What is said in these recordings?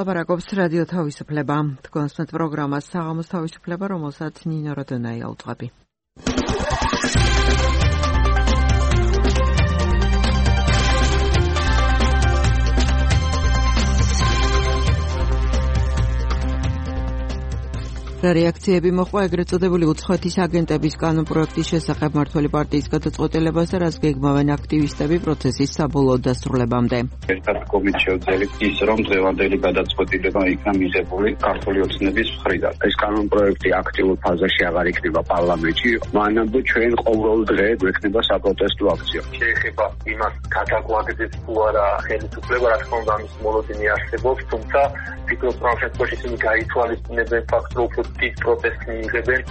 ლაპარაკობს რადიო თავისუფლება. თქვენს პროგრამას საღამოს თავისუფლება, რომელსაც ნინო როდონაია უძღვები. რეაქციები მოხდა ეგრეთ წოდებული უცხოეთის აგენტების კანონპროექტის შესახებ მმართველი პარტიის გადაწყვეტილებაზე, რაც გეგმავენ აქტივისტები პროცესის საბოლოო დასრულებამდე. ერთად კომით შევძელით ის, რომ დღევანდელი გადაწყვეტილება იქნა მიღებული ქართული ოცნების მხრიდან. ეს კანონპროექტი აქტიურ ფაზაში აღარ იქნება პარლამენტში, მანამდე ჩვენ ყოველ დღე გვექნება საპროტესტო აქცია. შეეხება იმას გადაგვაგდეს თუ არა ხელისუფლება, რა თქმა უნდა ამის მოლოდინი არსებობს, თუმცა ფიქრობ, რომ შემთხვევაში ისინი გაითვალისწინებენ ფაქტს, რომ დიდ პროტესტს მიიღებენ.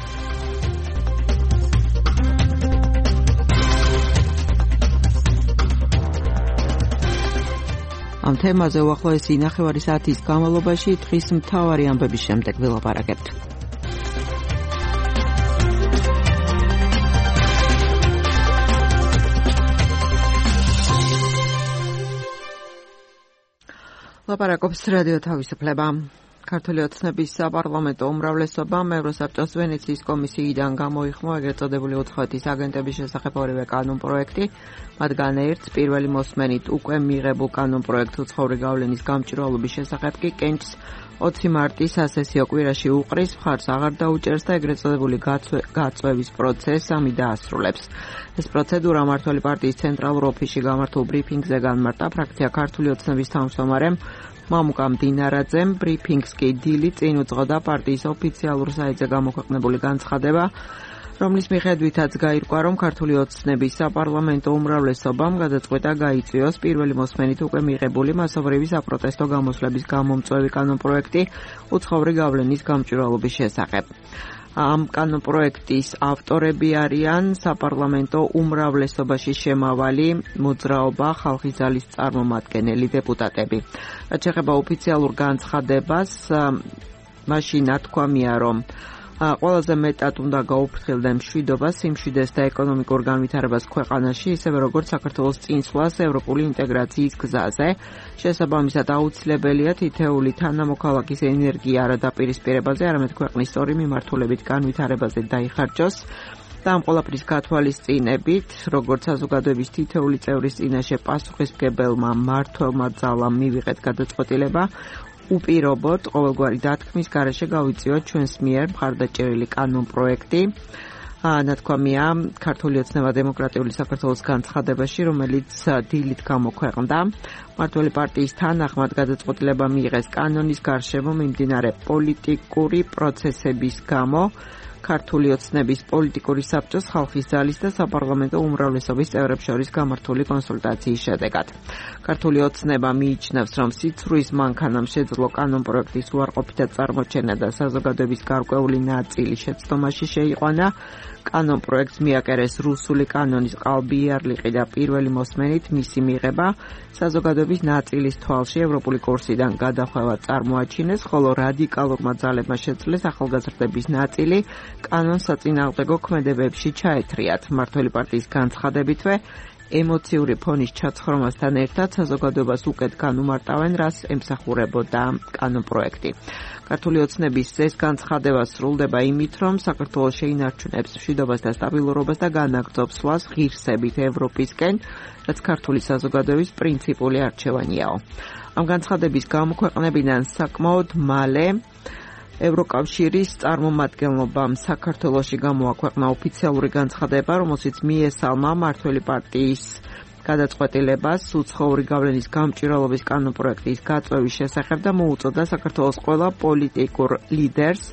ამ თემაზე უახლოესი ნახევარი საათის განმავლობაში დღის მთავარი ამბების შემდეგ ვილაპარაკებთ. ლაპარაკობს რადიო თავისუფლება. ქართული ოცნების საპარლამენტო უმრავლესობამ ევროსაბჭოს ვენეციის კომისიიდან გამოიხმო ეგრეთ წოდებული უცხოეთის აგენტების შესახებ ორივე კანონპროექტი, მათგან ერთს პირველი მოსმენით უკვე მიღებულ კანონპროექტს უცხოური გავლენის გამჭვირვალობის შესახებ კი კენჭს 20 მარტის სასესიო კვირაში უყრის, მხარს აღარ დაუჭერს და ეგრეთ წოდებული გაწვევის პროცესს ამი დაასრულებს. ეს პროცედურა მმართველი პარტიის ცენტრალურ ოფისში გამართულ ბრიფინგზე განმარტა ფრაქცია ქართული ოცნების თავმჯდომარემ მამუკამ დინარაძემ. ბრიფინგს კი დილით წინ უძღოდა პარტიის ოფიციალურ საიტზე გამოქვეყნებული განცხადება, რომლის მიხედვითაც გაირკვა, რომ ქართული ოცნების საპარლამენტო უმრავლესობამ გადაწყვეტა გაიწვიოს პირველი მოსმენით უკვე მიღებული მასობრივი საპროტესტო გამოსვლების გამომწვევი კანონპროექტი უცხოური გავლენის გამჭვირვალობის შესახებ. ამ კანონპროექტის ავტორები არიან საპარლამენტო უმრავლესობაში შემავალი მოძრაობა ხალხის ძალის წარმომადგენელი დეპუტატები. რაც შეეხება ოფიციალურ განცხადებას, მაშინ ნათქვამია, რომ ყველაზე მეტად უნდა გაუფრთხილდნენ მშვიდობას, სიმშვიდეს და ეკონომიკურ განვითარებას ქვეყანაში, ისევე როგორც საქართველოს წინსვლას ევროპული ინტეგრაციის გზაზე. შესაბამისად აუცილებელია თითეული თანამოქალაქის ენერგია არა დაპირისპირებაზე, არამედ ქვეყნის სწორი მიმართულებით განვითარებაზე დაიხარჯოს. და ამ ყველაფრის გათვალისწინებით, როგორც საზოგადოების თითეული წევრის წინაშე პასუხისმგებელმა მმართველმა ძალამ მივიღეთ გადაწყვეტილება, უპირობოდ ყოველგვარი დათქმის გარეშე გავიწვიოთ ჩვენს მიერ მხარდაჭერილი კანონპროექტი. ნათქვამია ქართული ოცნება დემოკრატიული საქართველოს განცხადებაში, რომელიც დილით გამოქვეყნდა. მმართველი პარტიის თანახმად გადაწყვეტილება მიიღეს კანონის გარშემო მიმდინარე პოლიტიკური პროცესების გამო. ქართული ოცნების პოლიტიკური საბჭოს ხალხის ძალის და საპარლამენტო უმრავლესობის წევრებს შორის გამართული კონსულტაციის შედეგად. ქართული ოცნება მიიჩნევს, რომ სიცრუის მანქანამ შეძლო კანონპროექტის უარყოფითად წარმოჩენა და საზოგადოების გარკვეული ნაწილი შეცდომაში შეიყვანა. კანონპროექტს მიაკერეს რუსული კანონის ყალბიარლიყი და პირველი მოსმენით მისი მიღება საზოგადოების ნაწილის თვალში ევროპული კურსიდან გადახვევა წარმოაჩინეს, ხოლო რადიკალურმა ძალებმა შეძლეს ახალგაზრდების ნაწილი კანონს საწინააღმდეგო ქმედებებში ჩაეთრიათ. მმართველი პარტიის განცხადებითვე ემოციური ფონის ჩაცხრომასთან ერთად საზოგადოებას უკეთ განუმარტავენ, რას ემსახურებოდა კანონპროექტი. ქართული ოცნების ეს განცხადება სრულდება იმით, რომ საქართველოს შეინარჩუნებს მშვიდობას და სტაბილურობას და განაგრძობს სვლას ღირსებით ევროპისკენ, რაც ქართული საზოგადოების პრინციპული არჩევანიაო. ამ განცხადების გამოქვეყნებიდან საკმაოდ მალე ევროკავშირის წარმომადგენლობამ საქართველოში გამოაქვეყნა ოფიციალური განცხადება, რომელშიც მიესალმა მმართველი პარტიის გადაწყვეტილებას უცხოური გავლენის გამჭვირვალობის კანონპროექტის გაწვევის შესახებ და მოუწოდა საქართველოს ყველა პოლიტიკურ ლიდერს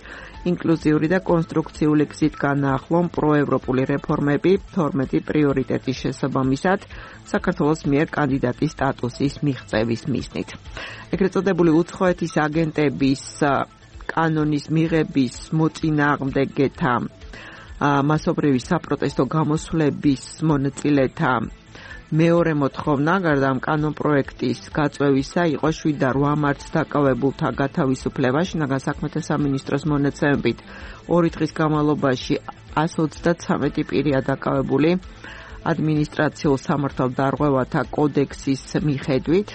ინკლუზიური და კონსტრუქციული გზით განაახლონ პროევროპული რეფორმები 12 პრიორიტეტის შესაბამისად საქართველოს მიერ კანდიდატის სტატუსის მიღწევის მიზნით. ეგრეთ წოდებული უცხოეთის აგენტების კანონის მიღების მოწინააღმდეგეთა მასობრივი საპროტესტო გამოსვლების მონაწილეთა მეორე მოთხოვნა გარდა ამ კანონპროექტის გაწვევისა იყო 7 და 8 მარტს დაკავებულთა გათავისუფლება. შინაგან საქმეთა სამინისტროს მონაცემებით 2 დღის განმავლობაში 133 პირია დაკავებული ადმინისტრაციულ სამართალდარღვევათა კოდექსის მიხედვით.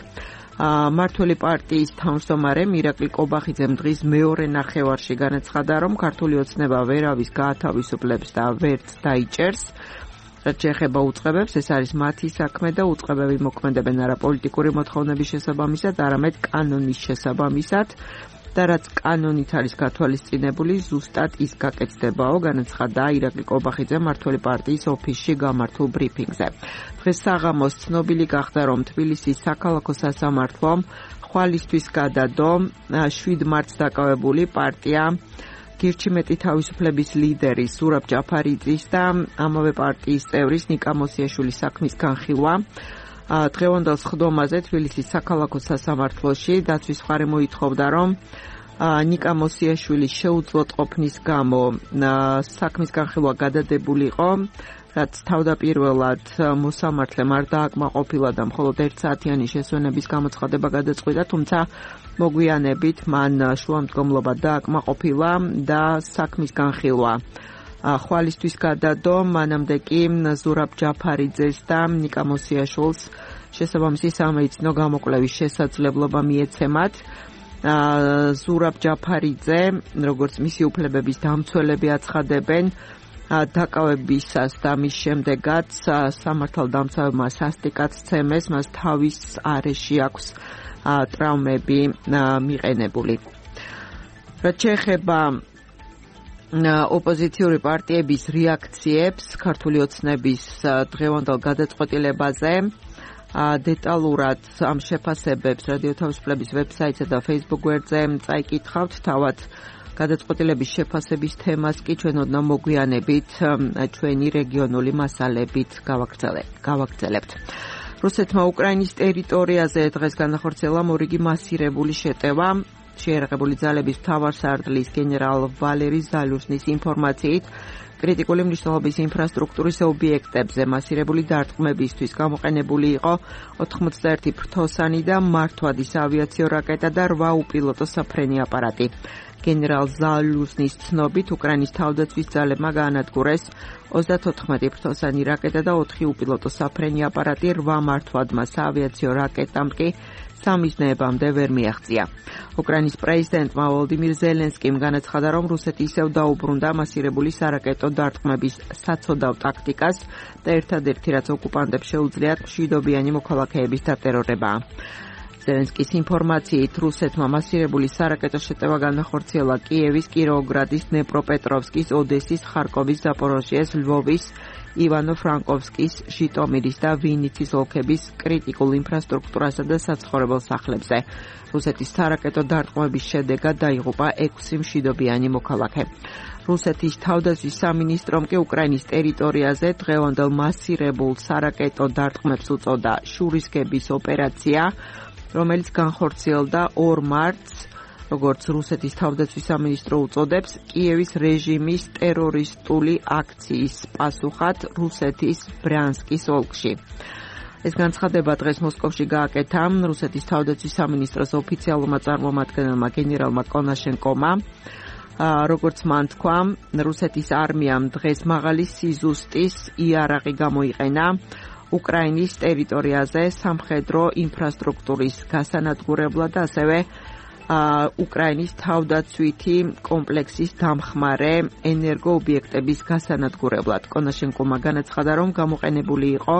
მართველი პარტიის თავმჯდომარე მირაკლი კობახიძემ დღის მეორე ნახევარში განაცხადა, რომ ქართული ოცნება ვერავის გაათავისუფლებს და ვერც დაიჭერს. რაც შეეხება უწყებებს, ეს არის მათი საქმე და უწყებები მოქმედებენ არა პოლიტიკური მოთხოვნების შესაბამისად, არამედ კანონის შესაბამისად. და რაც კანონით არის გათვალისწინებული, ზუსტად ის გაკეთდებაო, განაცხადა ირაკლი კობახიძე მართველი პარტიის ოფისში გამართულ ბრიფინგზე. დღეს საღამოს ცნობილი გახდა, რომ თბილისის საქალაქო სასამართლომ ხვალისთვის გადადო 7 მარტს დაკავებული პარტია გირჩიმეტი თავისუფლების ლიდერის ზურაბ ჯაფარიძის და ამავე პარტიის წევრის ნიკა მოსიაშვილის საქმის განხილვა. დღევანდელ სხდომაზე თბილისის საქალაქო სასამართლოში დაცვის მხარე მოითხოვდა, რომ ნიკა მოსიაშვილის შეუძლოდ ყოფნის გამო საქმის განხილვა გადადებულიყო, რაც თავდაპირველად მოსამართლემ არ დააკმაყოფილა და მხოლოდ 1 საათიანი შესვენების გამოცხადება გადაწყვიტა, თუმცა მოგვიანებით მან შუამდგომლობა დააკმაყოფილა და საქმის განხილვა ხვალისთვის გადადო, მანამდე კი ზურაბ ჯაფარიძეს და ნიკა მოსიაშვილს შესაბამისი სამედიცინო გამოკვლევის შესაძლებლობა მიეცემათ. ზურაბ ჯაფარიძე, როგორც მისი უფლებების დამცველები აცხადებენ, დაკავებისას და მის შემდეგაც სამართალდამცავებმა სასტიკად სცემეს, მას თავის არეში აქვს ტრავმები მიყენებული. რაც შეეხება ოპოზიციური პარტიების რეაქციებს ქართული ოცნების დღევანდელ გადაწყვეტილებაზე, დეტალურად ამ შეფასებებს რადიო თავისუფლების ვებსაიტსა და Facebook გვერდზე წაიკითხავთ. თავად გადაწყვეტილების შეფასების თემას კი ჩვენ ოდნავ მოგვიანებით ჩვენი რეგიონული მასალებით გავაგრძელებთ. რუსეთმა უკრაინის ტერიტორიაზე დღეს განახორციელა მორიგი მასირებული შეტევა. შეიარაღებული ძალების მთავარსარდლის გენერალ ვალერი ზალუსნის ინფორმაციით, კრიტიკული მნიშვნელობის ინფრასტრუქტურის ობიექტებზე მასირებული დარტყმებისთვის გამოყენებული იყო 81 ფრთოსანი და მართვადის ავიაციო რაკეტა და 8 უპილოტო საფრენი აპარატი. გენერალ ზალუსნის ცნობით, უკრაინის თავდაცვის ძალებმა გაანადგურეს 34 ფრთოსანი რაკეტა და 4 უპილოტო საფრენი აპარატი, 8 მართვადმა საავიაციო რაკეტამ კი სამიზნეებამდე ვერ მიაღწია. უკრაინის პრეზიდენტმა ვოლოდიმირ ზელენსკიმ განაცხადა, რომ რუსეთი ისევ დაუბრუნდა მასირებული სარაკეტო დარტყმების საცოდავ ტაქტიკას და ერთადერთი რაც ოკუპანტებს შეუძლიათ მშვიდობიანი მოქალაქეების დატერორებაა. ზელენსკის ინფორმაციით, რუსეთმა მასირებული სარაკეტო შეტევა განახორციელა კიევის, კიროვოგრადის, დნეპროპეტროვსკის, ოდესის, ხარკოვის, ზაპოროჟიეს, ლვოვის, ივანო-ფრანკოვსკის, ჟიტომირის და ვინიცის ოლქების კრიტიკულ ინფრასტრუქტურასა და საცხოვრებელ სახლებზე. რუსეთის სარაკეტო დარტყმების შედეგად დაიღუპა 6 მშვიდობიანი მოქალაქე. რუსეთის თავდაცვის სამინისტრომ კი უკრაინის ტერიტორიაზე დღევანდელ მასირებულ სარაკეტო დარტყმებს უწოდა შურისკების ოპერაცია, რომელიც განხორციელდა 2 მარტს, როგორც რუსეთის თავდაცვის სამინისტრო უწოდებს, კიევის რეჟიმის ტერორისტული აქციის პასუხად რუსეთის ბრიანსკის ოლქში. ეს განცხადება დღეს მოსკოვში გააკეთა რუსეთის თავდაცვის სამინისტროს ოფიციალურმა წარმომადგენელმა გენერალმა კონაშენკომა. როგორც მან თქვა, რუსეთის არმიამ დღეს მაღალი სიზუსტის იარაღი გამოიყენა უკრაინის ტერიტორიაზე სამხედრო ინფრასტრუქტურის გასანადგურებლად და ასევე უკრაინის თავდაცვითი კომპლექსის დამხმარე ენერგოობიექტების გასანადგურებლად. კონაშენკომა განაცხადა, რომ გამოყენებული იყო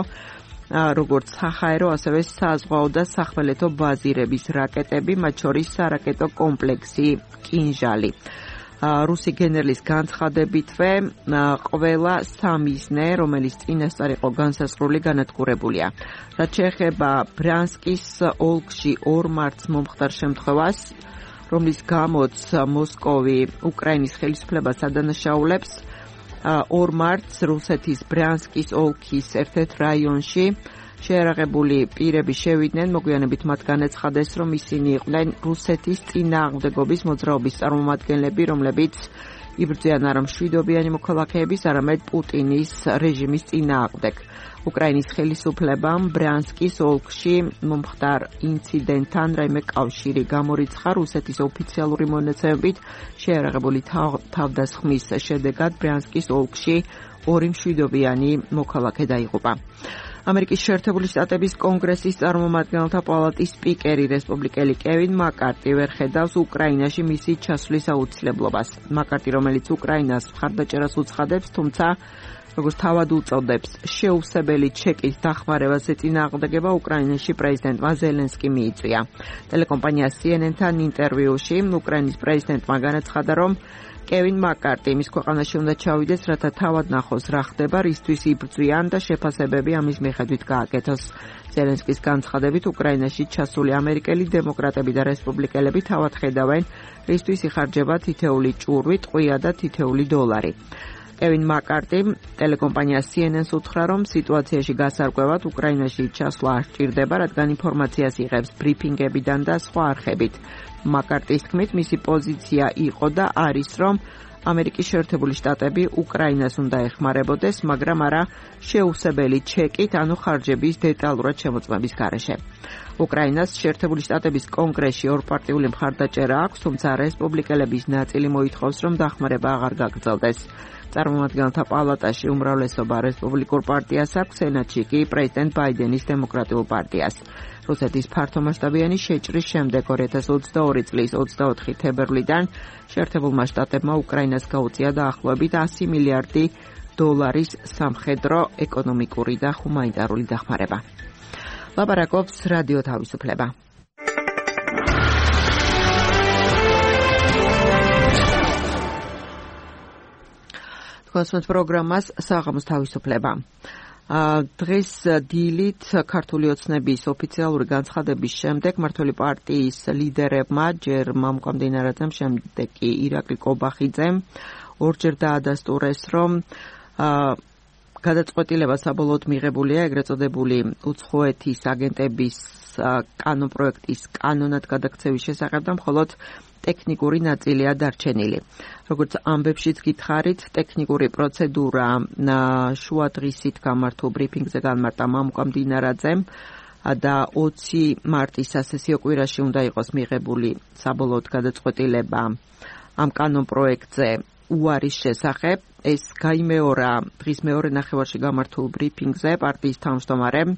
როგორც საჰაერო, ასევე საზღვაო და სახმელეთო ბაზირების რაკეტები, მათ შორის სარაკეტო კომპლექსი კინჟალი. რუსი გენერლის განცხადებითვე ყველა სამიზნე, რომელიც წინასწარ იყო განსაზღვრული, განადგურებულია. რაც შეეხება ბრიანსკის ოლქში 2 მარტს მომხდარ შემთხვევას, რომლის გამოც მოსკოვი უკრაინის ხელისუფლებას ადანაშაულებს, 2 მარტს რუსეთის ბრიანსკის ოლქის ერთ-ერთ რაიონში შეიარაღებული პირები შევიდნენ, მოგვიანებით მათ განაცხადეს, რომ ისინი იყვნენ რუსეთის წინააღმდეგობის მოძრაობის წარმომადგენლები, რომლებიც იბრძვიან არა მშვიდობიანი მოქალაქეების, არამედ პუტინის რეჟიმის წინააღმდეგ. უკრაინის ხელისუფლებამ ბრიანსკის ოლქში მომხდარ ინციდენტთან რაიმე კავშირი გამორიცხა. რუსეთის ოფიციალური მონაცემებით შეიარაღებული თავდასხმის შედეგად ბრიანსკის ოლქში 2 მშვიდობიანი მოქალაქე დაიღუპა. ამერიკის შეერთებული შტატების კონგრესის წარმომადგენელთა პალატის სპიკერი რესპუბლიკელი კევინ მაკარტი ვერ ხედავს უკრაინაში მისი ჩასვლის აუცილებლობას. მაკარტი, რომელიც უკრაინას მხარდაჭერას უცხადებს, თუმცა როგორც თავად უწოდებს, შეუცვლელი ჩეკის დახმარებას ეწინააღმდეგება უკრაინაში პრეზიდენტმა ზელენსკი მიიწვია. ტელეკომპანია CNN-თან ინტერვიუში უკრაინის პრეზიდენტმა განაცხადა, რომ კევინ მაკარტი მის ქვეყანაში უნდა ჩავიდეს, რათა თავად ნახოს რა ხდება, რისთვის იბრძვიან და შეფასებები ამის მიხედვით გააკეთოს. ზელენსკის განცხადებით, უკრაინაში ჩასული ამერიკელი დემოკრატები და რესპუბლიკელები თავად ხედავენ, რისთვის იხარჯება თითეული ჭურვი, ტყვია და თითეული დოლარი. კევინ მაკარტი ტელეკომპანია CNN-ს უთხრა, რომ სიტუაციაში გასარკვევად უკრაინაში ჩასვლა არ სჭირდება, რადგან ინფორმაციას იღებს ბრიფინგებიდან და სხვა არხებით. მაკარტის თქმით, მისი პოზიცია იყო და არის, რომ ამერიკის შეერთებული შტატები უკრაინას უნდა ეხმარებოდეს, მაგრამ არა შეუცვლელი ჩეკით, ანუ ხარჯების დეტალურად შემოწმების გარეშე. უკრაინას შეერთებული შტატების კონგრესში ორპარტიული მხარდაჭერა აქვს, თუმცა რესპუბლიკელების ნაწილი მოითხოვს, რომ დახმარება აღარ გაგრძელდეს. წარმომადგენელთა პალატაში უმრავლესობა რესპუბლიკურ პარტიას აქვს, სენატში კი პრეზიდენტ ბაიდენის დემოკრატიულ პარტიას. რუსეთის ფართომასშტაბიანი შეჭრის შემდეგ 2022 წლის 24 თებერვლიდან შეერთებულმა შტატებმა უკრაინას გაუწია დაახლოებით 100 მილიარდი დოლარის სამხედრო, ეკონომიკური და ჰუმანიტარული დახმარება. ლაპარაკობს რადიო თავისუფლება. კონსულტ პროგრამას საღამოს თავისუფლება. დღეს დილით ქართული ოცნების ოფიციალური განცხადების შემდეგ მმართველი პარტიის ლიდერებმა ჯერ მამუკა მდინარაძემ, შემდეგ კი ირაკლი კობახიძემ ორჯერ დაადასტურეს, რომ გადაწყვეტილება საბოლოოდ მიღებულია ეგრეთ წოდებული უცხოეთის აგენტების კანონპროექტის კანონად გადაქცევის შესახებ და მხოლოდ ტექნიკური ნაწილია დარჩენილი. როგორც ამბებშიც გითხარით, ტექნიკური პროცედურა შუა დღისით გამართულ ბრიფინგზე განმარტა მამუკა მდინარაძემ და 20 მარტის სასესიო კვირაში უნდა იყოს მიღებული საბოლოოდ გადაწყვეტილება ამ კანონპროექტზე უარის შესახებ. ეს გაიმეორა დღის მეორე ნახევარში გამართულ ბრიფინგზე პარტიის თავმჯდომარემ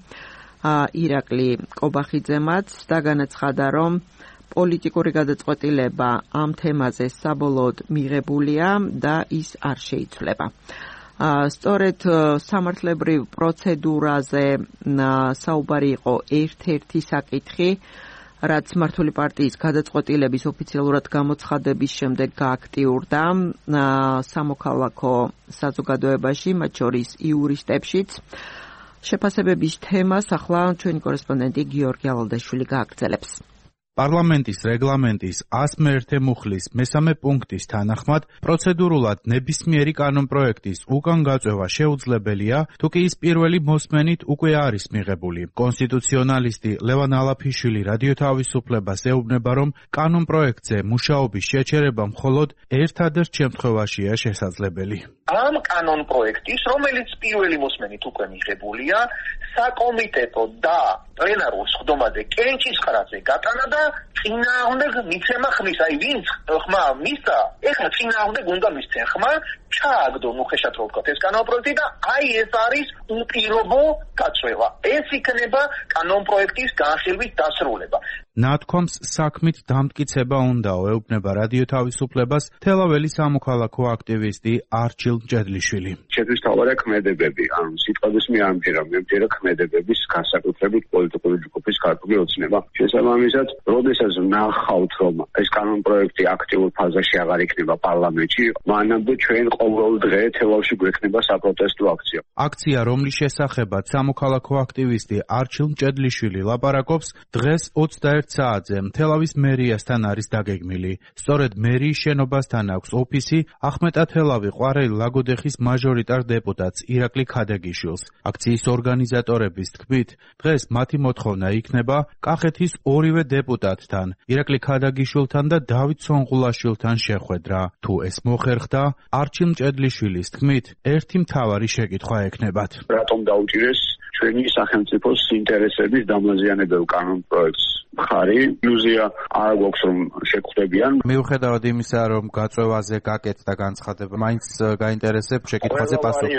ირაკლი კობახიძემაც და განაცხადა, რომ პოლიტიკური გადაწყვეტილება ამ თემაზე საბოლოოდ მიღებულია და ის არ შეიცვლება. სწორედ სამართლებრივ პროცედურაზე საუბარი იყო ერთ-ერთი საკითხი, რაც მმართველი პარტიის გადაწყვეტილების ოფიციალურად გამოცხადების შემდეგ გააქტიურდა სამოქალაქო საზოგადოებაში, მათ შორის იურისტებშიც. შეფასებების თემას ახლა ჩვენი კორესპონდენტი გიორგი ალალდაშვილი გააგრძელებს. პარლამენტის რეგლამენტის 101 მუხლის მესამე პუნქტის თანახმად პროცედურულად ნებისმიერი კანონპროექტის უკან გაწევა შეუძლებელია, თუ კი ის პირველი მოსმენით უკვე არის მიღებული. კონსტიტუციონალისტი ლევან ალაფიშვილი რადიო თავისუფლებას ეუბნება, რომ კანონპროექტზე მუშაობის შეჩერება მხოლოდ ერთადერთ შემთხვევაშია შესაძლებელი. ამ კანონპროექტის, რომელიც პირველი მოსმენით უკვე მიღებულია, საკომიტეტო და პლენარულ სხდომაზე კენჭისყრაზე გატანა და წინააღმდეგ მიცემა ხმის. აი ვინც ხმა მისცა, ეხლა წინააღმდეგ უნდა მისცენ ხმა, ჩააგდონ უხეშად რო ვთქვათ ეს კანონპროექტი და აი ეს არის უპირობო გაწევა. ეს იქნება კანონპროექტის განხილვის დასრულება. ნათქვამს საქმით დამტკიცება უნდაო, ეუბნება რადიო თავისუფლებას თელაველი სამოქალაქო აქტივისტი არჩილ მჭედლიშვილი. შეგვისთავარა ქმედებები, ანუ სიტყვების მე არ მჯერა ქმედებების განსაკუთრებით პოლიტიკური ჯგუფის ქართული ოცნება. შესაბამისად, როდესაც ნახავთ, რომ ეს კანონპროექტი აქტიურ ფაზაში აღარ იქნება პარლამენტში, მანამდე ჩვენ ყოველ დღე თელავში გვექნება საპროტესტო აქცია. აქცია, რომლის შესახებაც სამოქალაქო აქტივისტი არჩილ მჭედლიშვილი ლაპარაკობს, დღეს 21 საათზე თელავის მერიასთან არის დაგეგმილი. სწორედ მერიის შენობასთან აქვს ოფისი ახმეტათელავი ყვარელი ლაგოდეხის მაჟორიტარ დეპუტატს ირაკლი ქადაგიშვილს. აქციის ორგანიზატორების თქმით, დღეს მათი მოთხოვნა იქნება კახეთის ორივე დეპუტატთან, ირაკლი ქადაგიშვილთან და დავით სონღულაშვილთან შეხვედრა. თუ ეს მოხერხდა, არჩილ მჭედლიშვილის თქმით, ერთი მთავარი შეკითხვა ექნებათ. რატომ დაუჭირეს ჩვენი სახელმწიფოს ინტერესების დამაზიანებელ კანონპროექტს მხარი ილუზია არ გვაქვს რომ შეგხვდებიან. მიუხედავად იმისა რომ გაწვევაზე გაკეთდა განცხადება, მაინც გაინტერესებს შეკითხვაზე პასუხი.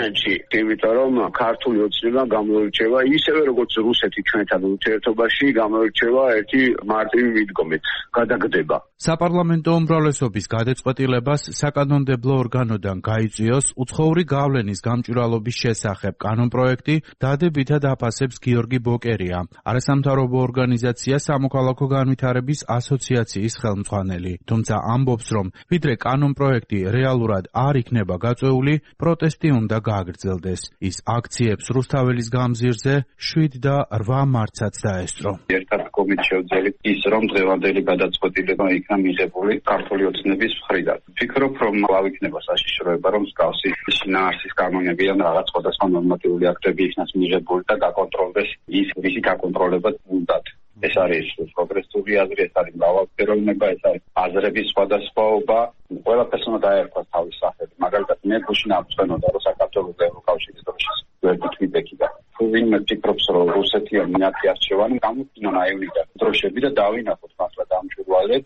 იმიტომ რომ ქართული ოცნება გამოირჩევა ისევე როგორც რუსეთი ჩვენთან ურთიერთობაში გამოირჩევა ერთი მარტივი მიდგომით, გადაგდება. საპარლამენტო უმრავლესობის გადაწყვეტილებას საკანონმდებლო ორგანოდან გაიწვიოს უცხოური გავლენის გამჭვირვალობის შესახებ კანონპროექტი დადებითად აფასებს გიორგი ბოკერია, არასამთავრობო ორგანიზაცია სამოქალაქო განვითარების ასოციაციის ხელმძღვანელი. თუმცა ამბობს, რომ ვიდრე კანონპროექტი რეალურად არ იქნება გაწეული, პროტესტი უნდა გააგრძელდეს. ის აქციებს რუსთაველის გამზირზე 7 და 8 მარტსაც დაესწრო. ერთად კომით შევძელით ის, რომ დღევანდელი გადაწყვეტილება იქნა მიღებული ქართული ოცნების მხრიდან. ვფიქრობ, რომ აღიქმნება საშიშროება, რომ მსგავსი შინაარსის კანონები ან რაღაც სხვადასხვა ნორმატიული აქტები იქნას მიღებული და გაკონტროლდეს ის, ვისი გაკონტროლება უნდათ. ეს არის პროგრესული აზრი, ეს არის მრავალფეროვნება, ეს არის აზრების სხვადასხვაობა. ყველაფერს უნდა დაერქვას თავის სახელი. მაგალითად, მე გუშინ ამწვენოდა, რომ საქართველოს ევროკავშირის დროშის გვერდით ვიდექიდა. თუ ვინმე ფიქრობს, რომ რუსეთი მინათი არჩევანი გამოფინა აივნიდან დროშები და დავინახოთ მართლა დამჭვირვალედ.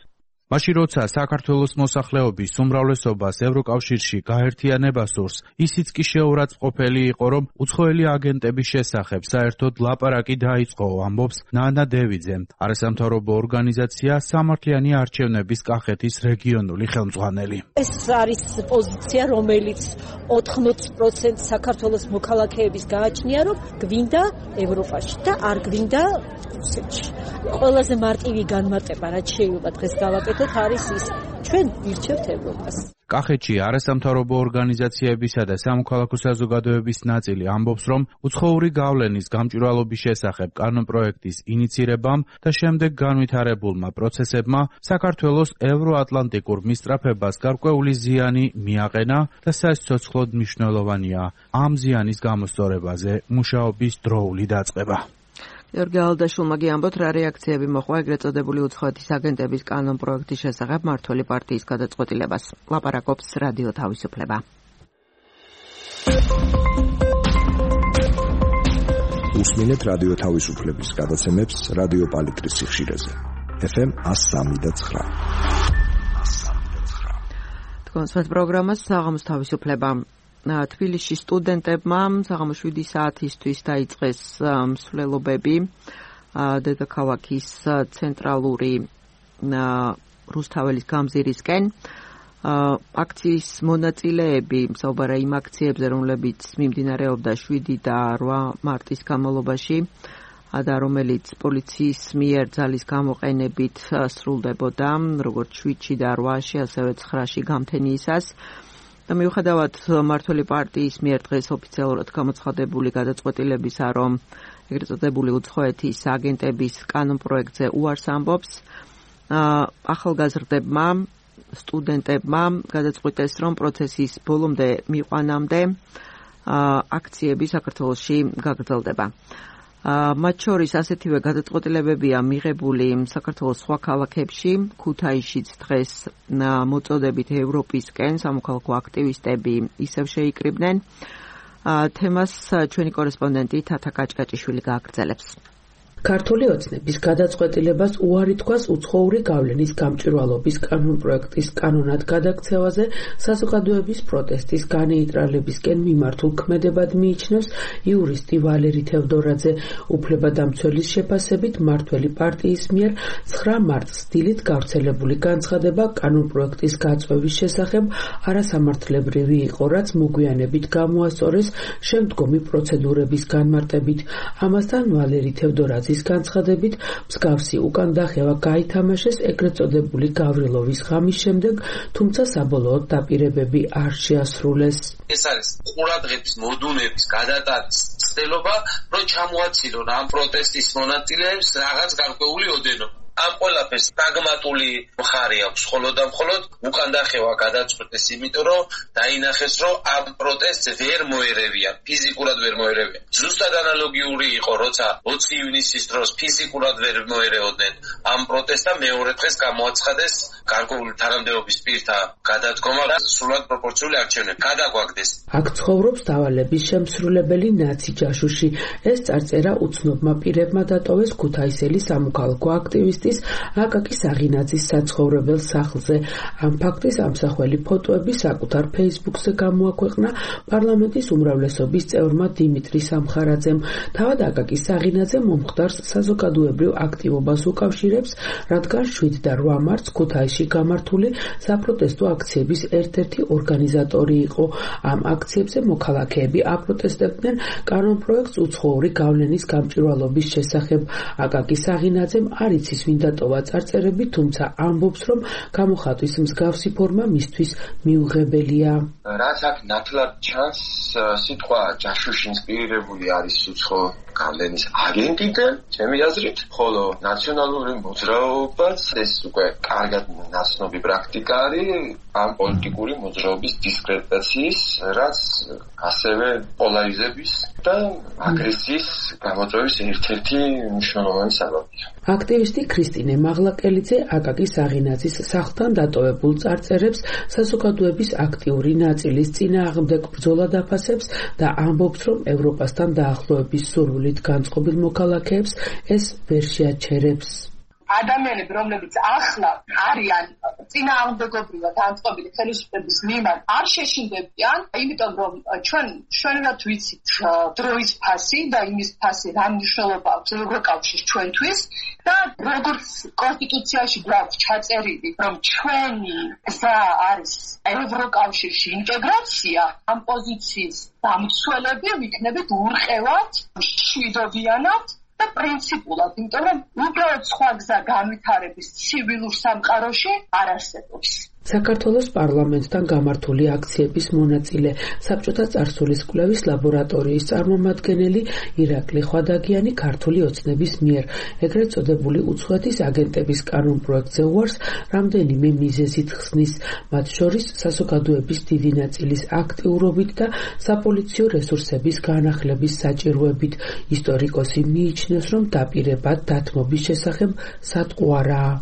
მაშინ როცა საქართველოს მოსახლეობის უმრავლესობას ევროკავშირში გაერთიანება სურს, ისიც კი შეურაცხყოფელი იყო, რომ უცხოელი აგენტების შესახებ საერთოდ ლაპარაკი დაიწყო, ამბობს ნანა დევიძე, არასამთავრობო ორგანიზაცია სამართლიანი არჩევნების კახეთის რეგიონული ხელმძღვანელი. ეს არის პოზიცია, რომელიც 80% საქართველოს მოქალაქეების გააჩნია, რომ გვინდა ევროპაში და არ გვინდა რუსეთში. ყველაზე მარტივი განმარტება, რაც შეიძლება დღეს გავაკეთოთ, არის ის, ჩვენ ვირჩევთ ევროპას. კახეთში არასამთავრობო ორგანიზაციებისა და სამოქალაქო საზოგადოების ნაწილი ამბობს, რომ უცხოური გავლენის გამჭვირვალობის შესახებ კანონპროექტის ინიცირებამ და შემდეგ განვითარებულმა პროცესებმა საქართველოს ევროატლანტიკურ მისწრაფებას გარკვეული ზიანი მიაყენა და სასიცოცხლოდ მნიშვნელოვანია ამ ზიანის გამოსწორებაზე მუშაობის დროული დაწყება. გიორგი ალდაშულმა გიამბოთ, რა რეაქციები მოყვა ეგრეთ წოდებული უცხოეთის აგენტების კანონპროექტის შესახებ მმართველი პარტიის გადაწყვეტილებას. ლაპარაკობს რადიო თავისუფლება. უსმინეთ რადიო თავისუფლების გადაცემებს რადიო პალიტრის სიხშირეზე. FM 103.9. თქვენს პროგრამას საღამოს თავისუფლება. თბილისში სტუდენტებმა საღამოს 7 საათისთვის დაიწყეს მსვლელობები დედაქალაქის ცენტრალური რუსთაველის გამზირისკენ. აქციის მონაწილეები საუბარა იმ აქციებზე, რომლებიც მიმდინარეობდა 7 და 8 მარტის განმავლობაში და რომელიც პოლიციის მიერ ძალის გამოყენებით სრულდებოდა, როგორც 7-ში და 8-ში, ასევე 9-ში გამთენიისას. და მიუხედავად მმართველი პარტიის მიერ დღეს ოფიციალურად გამოცხადებული გადაწყვეტილებისა, რომ ეგრეთ წოდებული უცხოეთის აგენტების კანონპროექტზე უარს ამბობს, ახალგაზრდებმა, სტუდენტებმა გადაწყვიტეს, რომ პროცესის ბოლომდე მიყვანამდე აქციები საქართველოში გაგრძელდება. მათ შორის ასეთივე გადაწყვეტილებებია მიღებული საქართველოს სხვა ქალაქებში, ქუთაისშიც დღეს მოწოდებით ევროპისკენ სამოქალაქო აქტივისტები ისევ შეიკრიბნენ. თემას ჩვენი კორესპონდენტი თათა კაჭკაჭიშვილი გააგრძელებს. ქართული ოცნების გადაწყვეტილებას უარი თქვას უცხოური გავლენის გამჭვირვალობის კანონპროექტის კანონად გადაქცევაზე საზოგადოების პროტესტის განეიტრალებისკენ მიმართულ ქმედებად მიიჩნევს იურისტი ვალერი თევდორაძე. უფლებადამცველის შეფასებით მმართველი პარტიის მიერ 9 მარტს დილით გავრცელებული განცხადება კანონპროექტის გაწვევის შესახებ არასამართლებრივი იყო, რაც მოგვიანებით გამოასწორეს შემდგომი პროცედურების განმარტებით. ამასთან ვალერი თევდორაძე განცხადებით მსგავსი უკან დახევა გაითამაშეს ეგრეთ წოდებული გავრილოვის ღამის შემდეგ, თუმცა საბოლოოდ დაპირებები არ შეასრულეს. ეს არის ყურადღების მოდუნების გადატანის ცდელობა, რომ ჩამოაცილონ ამ პროტესტის მონაწილეებს რაღაც გარკვეული ოდენობა. ამ ყველაფერს პრაგმატული მხარე აქვს, მხოლოდ უკან დახევა გადაწყვეტეს, იმიტომ რომ დაინახეს, რომ ამ პროტესტს ვერ მოერევიან, ფიზიკურად ვერ მოერევიან. ზუსტად ანალოგიური იყო, როცა 20 ივნისის დროს ფიზიკურად ვერ მოერეოდნენ ამ პროტესტს, მეორე დღეს გამოაცხადეს გარკვეული თანამდებობის პირთა გადადგომა და სრულად პროპორციული არჩევნები გადაგვაგდეს. აქ ცხოვრობს დავალების შემსრულებელი ნაცი ჯაშუში. ეს წარწერა უცნობმა პირებმა დატოვეს ქუთაისელი სამოქალაქო აქტივისტის აკაკი საღინაძის საცხოვრებელ სახლზე. ამ ფაქტის ამსახველი ფოტოები საკუთარ Facebook-ზე გამოაქვეყნა პარლამენტის უმრავლესობის წევრმა დიმიტრი სამხარაძემ. თავად აკაკი საღინაძე მომხდარს საზოგადოებრივ აქტივობას უკავშირებს, რადგან 7 და 8 მარტს ქუთაისში გამართული საპროტესტო აქციების ერთ-ერთი ორგანიზატორი იყო. ამ აქციებზე მოქალაქეები აპროტესტებდნენ კანონპროექტს უცხოური გავლენის გამჭვირვალობის შესახებ. აკაკი საღინაძემ არ იცის ვინ დატოვა წარწერები, თუმცა ამბობს, რომ გამოხატვის მსგავსი ფორმა მისთვის მიუღებელია. რაც აქ ნათლად ჩანს, სიტყვა ჯაშუში ინსპირირებული არის უცხო გავლენის აგენტიდან, ჩემი აზრით, ხოლო ნაციონალური მოძრაობაც ეს უკვე კარგად ნაცნობი პრაქტიკა არის ამ პოლიტიკური მოძრაობის დისკრედიტაციის, რაც ასევე პოლარიზების და აგრესიის გამოწვევის ერთ-ერთი მნიშვნელოვანი საბაბია. აქტივისტი ქრისტინე მაღლაკელიძე აკაკი საღინაძის სახლთან დატოვებულ წარწერებს საზოგადოების აქტიური ნაწილის წინააღმდეგ ბრძოლა დაფასებს და ამბობს, რომ ევროპასთან დაახლოების სურვილით განწყობილ მოქალაქეებს ეს ვერ შეაჩერებს. ადამიანები, რომლებიც ახლა არიან წინააღმდეგობრივად განწყობილი ხელისუფლების მიმართ, არ შეშინდებიან, იმიტომ რომ ჩვენად ვიცით დროის ფასი და იმის ფასი რა მნიშვნელობა აქვს ევროკავშირს ჩვენთვის და როგორც კონსტიტუციაში გვაქვს ჩაწერილი, რომ ჩვენი გზა არის ევროკავშირში ინტეგრაცია, ამ პოზიციის დამცველები ვიქნებით ურყევად, მშვიდობიანად და პრინციპულად, იმიტომ რომ უბრალოდ სხვა გზა განვითარების ცივილურ სამყაროში არ არსებობს. საქართველოს პარლამენტთან გამართული აქციების მონაწილე საბჭოთა წარსულის კვლევის ლაბორატორიის წარმომადგენელი ირაკლი ხვადაგიანი ქართული ოცნების მიერ ეგრეთ წოდებული უცხოეთის აგენტების კანონპროექტზე უარს რამდენიმე მიზეზით ხსნის, მათ შორის საზოგადოების დიდი ნაწილის აქტიურობით და საპოლიციო რესურსების განახლების საჭიროებით. ისტორიკოსი მიიჩნევს, რომ დაპირება დათმობის შესახებ სატყუარაა.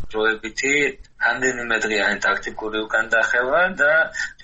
რამდენიმე დღიანი ტაქტიკური უკანდახევა და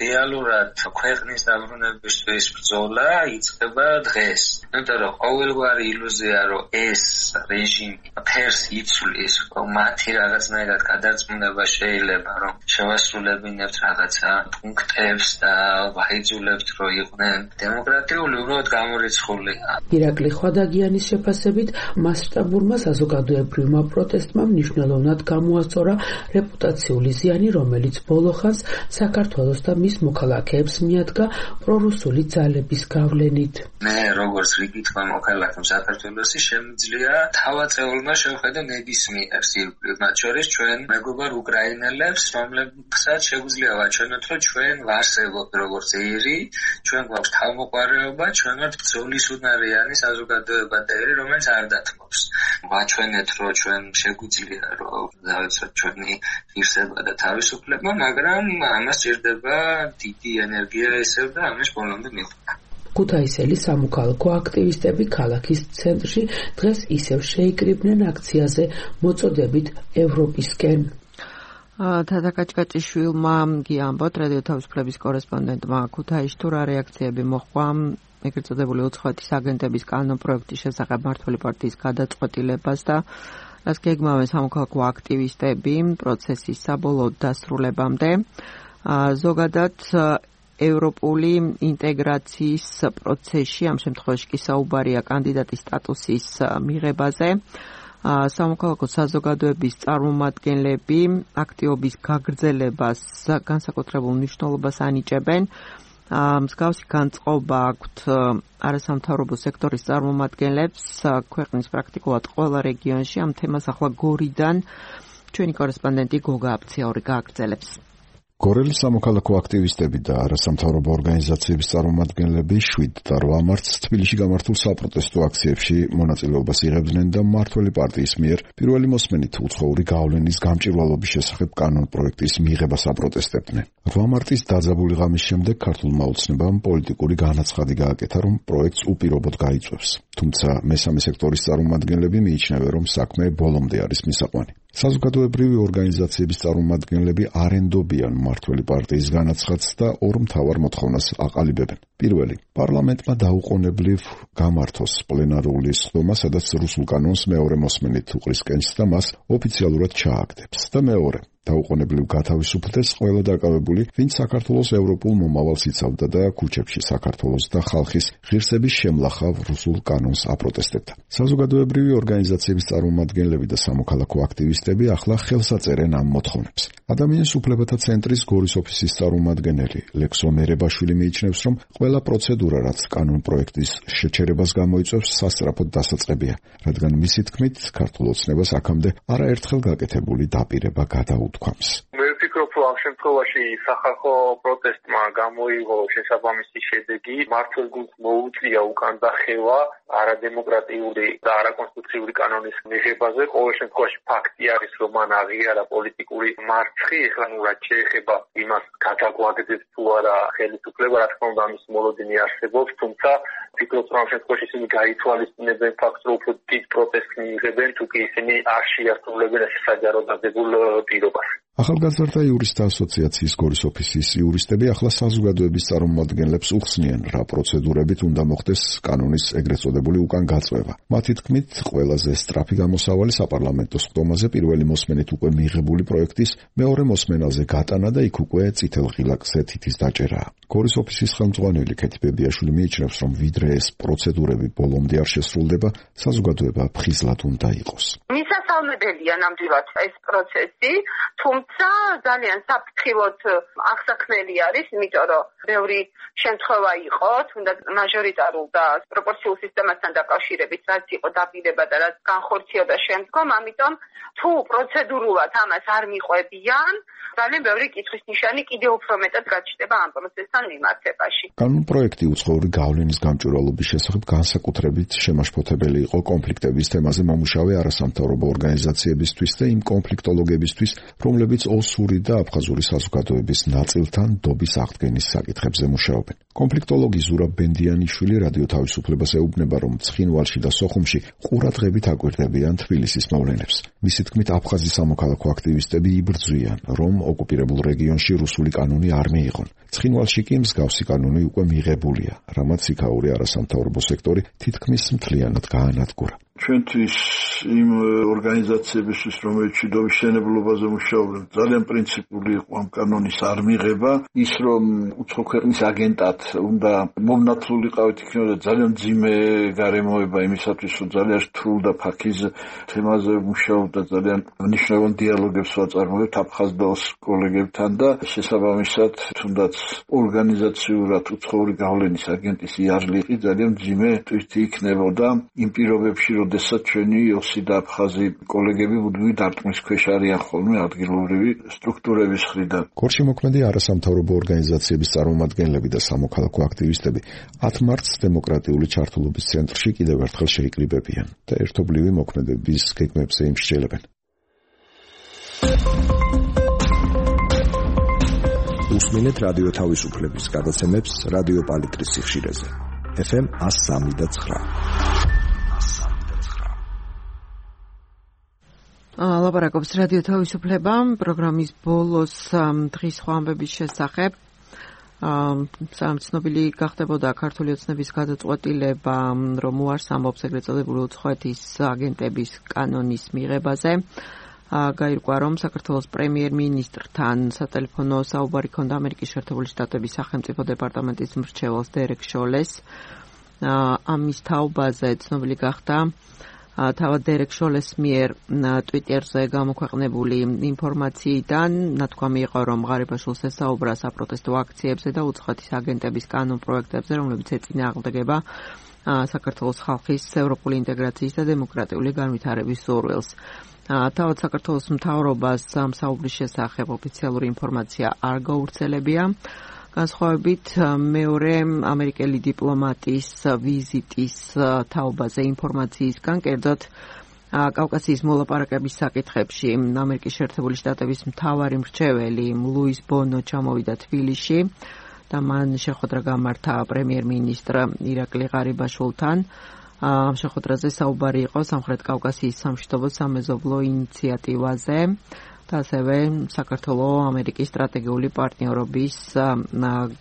რეალურად ქვეყნის დაბრუნებისთვის ბრძოლა იწყება დღეს. იმიტომ რომ ყოველგვარი ილუზია, რომ ეს რეჟიმი ფერს იცვლის, რომ მათი რაღაცნაირად გადარწმუნება შეიძლება, რომ შევასრულებინებთ რაღაცა პუნქტებს და ვაიძულებთ, რომ იყვნენ დემოკრატიული, უბრალოდ გამორიცხულია. ირაკლი ხვადაგიანის შეფასებით, მასშტაბურმა საზოგადოებრივმა პროტესტმა მნიშვნელოვნად გამოასწორა რეპუტაციული ზიანი, რომელიც ბოლო ხანს საქართველოს და მის მოქალაქეებს მიადგა პრორუსული ძალების გავლენით. მე როგორც რიგითმა მოქალაქემ საქართველოსი შემიძლია თავაწეულმა შევხედო ნებისმიერს ირგვლივ, მათ შორის ჩვენ მეგობარ უკრაინელებს, რომლებსაც შეგვიძლია ვაჩვენოთ, რომ ჩვენ ვარსებობთ როგორც ერი, ჩვენ გვაქვს თავმოყარეობა, ჩვენ ვართ ბრძოლის უნარიანი საზოგადოება და ერი, რომელიც არ დათმობს. ვაჩვენეთ, რომ ჩვენ შეგვიძლია რომ დავიცვათ ჩვენი ღირსება და თავისუფლება, მაგრამ ამას სჭირდება დიდი ენერგია ისევ და ამის ბოლომდე მიღება. ქუთაისელი სამოქალაქო აქტივისტები ქალაქის ცენტრში დღეს ისევ შეიკრიბნენ აქციაზე მოწოდებით ევროპისკენ. თათა კაჭკაჭიშვილმა გიამბოთ რადიო თავისუფლების კორესპონდენტმა ქუთაისში თუ რა რეაქციები მოჰყვა ეგრეთ წოდებული უცხოეთის აგენტების კანონპროექტის შესახებ მმართველი პარტიის გადაწყვეტილებას და რაც გეგმავენ სამოქალაქო აქტივისტები პროცესის საბოლოო დასრულებამდე. ზოგადად ევროპული ინტეგრაციის პროცესში ამ შემთხვევაში კი საუბარია კანდიდატის სტატუსის მიღებაზე. სამოქალაქო საზოგადოების წარმომადგენლები აქტივობის გაგრძელებას განსაკუთრებულ მნიშვნელობას ანიჭებენ. მსგავსი განწყობა აქვთ არასამთავრობო სექტორის წარმომადგენლებს ქვეყნის პრაქტიკულად ყველა რეგიონში. ამ თემას ახლა გორიდან ჩვენი კორესპონდენტი გოგა აფციაური გააგრძელებს. გორელის სამოქალაქო აქტივისტები და არასამთავრობო ორგანიზაციების წარმომადგენლები 7 და 8 მარტს თბილისში გამართულ საპროტესტო აქციებში მონაწილეობას იღებდნენ და მმართველი პარტიის მიერ პირველი მოსმენით უცხოური გავლენის გამჭვირვალობის შესახებ კანონპროექტის მიღებას აპროტესტებდნენ. 8 მარტის დაძაბული ღამის შემდეგ ქართულმა ოცნებამ პოლიტიკური განაცხადი გააკეთა, რომ პროექტს უპირობოდ გაიწვევს. თუმცა მესამე სექტორის წარმომადგენლები მიიჩნევენ, რომ საქმე ბოლომდე არის მისაყვანი. საზოგადოებრივი ორგანიზაციების წარმომადგენლები არ ენდობიან მმართველი პარტიის განაცხადს და ორ მთავარ მოთხოვნას აყალიბებენ. პირველი, პარლამენტმა დაუყოვნებლივ გამართოს პლენარული სხდომა, სადაც რუსულ კანონს მეორე მოსმენით უყრისკენს და მას ოფიციალურად ჩააგდებს. და მეორე, დაუყოვნებლივ გათავისუფლდეს ყველა დაკავებული, ვინც საქართველოს ევროპულ მომავალს იცავდა და ქუჩებში საქართველოს და ხალხის ღირსების შემლახავ რუსულ კანონს აპროტესტებდა. საზოგადოებრივი ორგანიზაციების წარმომადგენლები და სამოქალაქო აქტივისტები ახლა ხელს აწერენ ამ მოთხოვნებს. ადამიანის უფლებათა ცენტრის გორის ოფისის წარმომადგენელი ლექსო მერებაშვილი მიიჩნევს, რომ ყველა პროცედურა, რაც კანონპროექტის შეჩერებას გამოიწვევს, სასწრაფოდ დასაწყებია, რადგან მისი თქმით, ქართულ ოცნებას აქამდე არაერთხელ გაკეთებული დაპირება გადაუთქვამს. მე ვფიქრობ, რომ ამ შემთხვევაში სახალხო პროტესტმა გამოიღო შესაბამისი შედეგი, მმართველ გუნდს მოუწია უკან დახევა არადემოკრატიული და არაკონსტიტუციური კანონის მიღებაზე. ყოველ შემთხვევაში ფაქტი არის, რომ მან აღიარა პოლიტიკური მარცხი, ეხლა რაც შეეხება იმას გადაგვაგდეს თუ არა ხელისუფლება, რა თქმა უნდა ამის მოლოდინი არსებობს, თუმცა ვფიქრობ, რომ ამ შემთხვევაში ისინი გაითვალისწინებენ ფაქტს, რომ უფრო დიდ პროტესტს მიიღებენ, თუ კი ისინი არ შეასრულებენ ეს საჯარო დადებულ პირობას. ახალგაზრდა იურისტთა ასოციაციის გორის ოფისის იურისტები ახლა საზოგადოების წარმომადგენლებს უხსნიან, რა პროცედურებით უნდა მოხდეს კანონის ეგრეთ წოდებული უკან გაწვევა. მათი თქმით, ყველაზე სწრაფი გამოსავალი საპარლამენტო სხდომაზე პირველი მოსმენით უკვე მიღებული პროექტის მეორე მოსმენაზე გატანა და იქ უკვე წითელ ღილაკზე თითის დაჭერაა. გორის ოფისის ხელმძღვანელი ქეთი ბებიაშვილი მიიჩნევს, რომ ვიდრე ეს პროცედურები ბოლომდე არ შესრულდება, საზოგადოება ფხიზლად უნდა იყოს. მისასალმებელია ნამდვილად ეს პროცესი, თუმცა ძალიან საფრთხილოდ აღსაქმელი არის, იმიტომ რომ ბევრი შემთხვევა იყო, თუნდაც მაჟორიტარულ და პროპორციულ სისტემასთან დაკავშირებით, რაც იყო დაპირება და რაც განხორციელდა შემდგომ, ამიტომ თუ პროცედურულად ამას არ მიყვებიან, ძალიან ბევრი კითხვის ნიშანი კიდევ უფრო მეტად გაჩნდება ამ პროცესთან მიმართებაში. კანონპროექტი უცხოური გავლენის გამჭვირვალობის შესახებ განსაკუთრებით შემაშფოთებელი იყო კონფლიქტების თემაზე მომუშავე არასამთავრობო ორგანიზაციებისთვის და იმ კონფლიქტოლოგებისთვის, რომლებიც ოსური და აფხაზური საზოგადოების ნაწილთან დობის აღდგენის საკითხებზე მუშაობენ. კონფლიქტოლოგი ზურაბ ბენდიანიშვილი რადიო თავისუფლებას ეუბნება, რომ ცხინვალში და სოხუმში ყურადღებით აკვირდებიან თბილისის მოვლენებს. მისი თქმით, აფხაზი სამოქალაქო აქტივისტები იბრძვიან, რომ ოკუპირებულ რეგიონში რუსული კანონი არ მიიღონ. ცხინვალში კი მსგავსი კანონი უკვე მიღებულია, რამაც იქაური არასამთავრობო სექტორი თითქმის მთლიანად გაანადგურა. ჩვენთვის იმ ორგანიზაციებისთვის, რომელიც მშვიდობის მშენებლობაზე მუშაობენ, ძალიან პრინციპული იყო ამ კანონის არ მიღება. ის, რომ უცხო ქვეყნის აგენტად უნდა მომნათლულიყავით, იქნებოდა ძალიან მძიმე გარემოება იმისათვის, რომ ძალიან რთულ და ფაქიზ თემაზე მუშაობდა, ძალიან მნიშვნელოვან დიალოგებს ვაწარმოებთ აფხაზ და ოს კოლეგებთან და შესაბამისად, თუნდაც ორგანიზაციურად უცხოური გავლენის აგენტის იარლიყი ძალიან მძიმე ტვირთი იქნებოდა იმ პირობებში, როდესაც ჩვენი ოსი და აფხაზი კოლეგები მუდმივი დარტყმის ქვეშ არიან ხოლმე ადგილობრივი სტრუქტურების მხრიდან. გორში მოქმედი არასამთავრობო ორგანიზაციების წარმომადგენლები და სამოქალაქო აქტივისტები 10 მარტს დემოკრატიული ჩართულობის ცენტრში კიდევ ერთხელ შეიკრიბებიან და ერთობლივი მოქმედების გეგმებზე იმსჯელებენ. უსმინეთ რადიო თავისუფლების გადაცემებს რადიო პალიტრის სიხშირეზე. FM 103.9. ლაპარაკობს რადიო თავისუფლება პროგრამის ბოლოს დღის ხვამბების შესახებ. ცნობილი გახდებოდა ქართული ოცნების გადაწყვეტილება, რომ უარს ამბობს ეგრეთ წოდებული უცხოეთის აგენტების კანონის მიღებაზე. გაირკვა, რომ საქართველოს პრემიერ-მინისტრთან სატელეფონო საუბარი ჰქონდა ამერიკის შეერთებული შტატების სახელმწიფო დეპარტამენტის მრჩეველს დერეკ შოლეს. ამის თაობაზე ცნობილი გახდა თავად დერეკ შოლეს მიერ ტვიტერზე გამოქვეყნებული ინფორმაციიდან ნათქვამი იყო, რომ ღარიბაშვილს ესაუბრა საპროტესტო აქციებზე და უცხოეთის აგენტების კანონ პროექტებზე, რომლებიც ეწინააღმდეგება საქართველოს ხალხის ევროპული ინტეგრაციის და დემოკრატიული განვითარების სურვილს. თავად საქართველოს მთავრობას ამ საუბრის შესახებ ოფიციალური ინფორმაცია არ გავრცელებია. განსხვავებით მეორე ამერიკელი დიპლომატის ვიზიტის თაობაზე ინფორმაციისგან, კერძოდ კავკასიის მოლაპარაკების საკითხებში ამერიკის შეერთებული შტატების მთავარი მრჩეველი ლუის ბონო ჩამოვიდა თბილისში და მან შეხვედრა გამართა პრემიერ-მინისტრ ირაკლი ღარიბაშვილთან. ამ შეხვედრაზე საუბარი იყო სამხრეთ კავკასიის სამშვიდობო სამეზობლო ინიციატივაზე და ასევე საქართველოს ამერიკის სტრატეგიული პარტნიორობის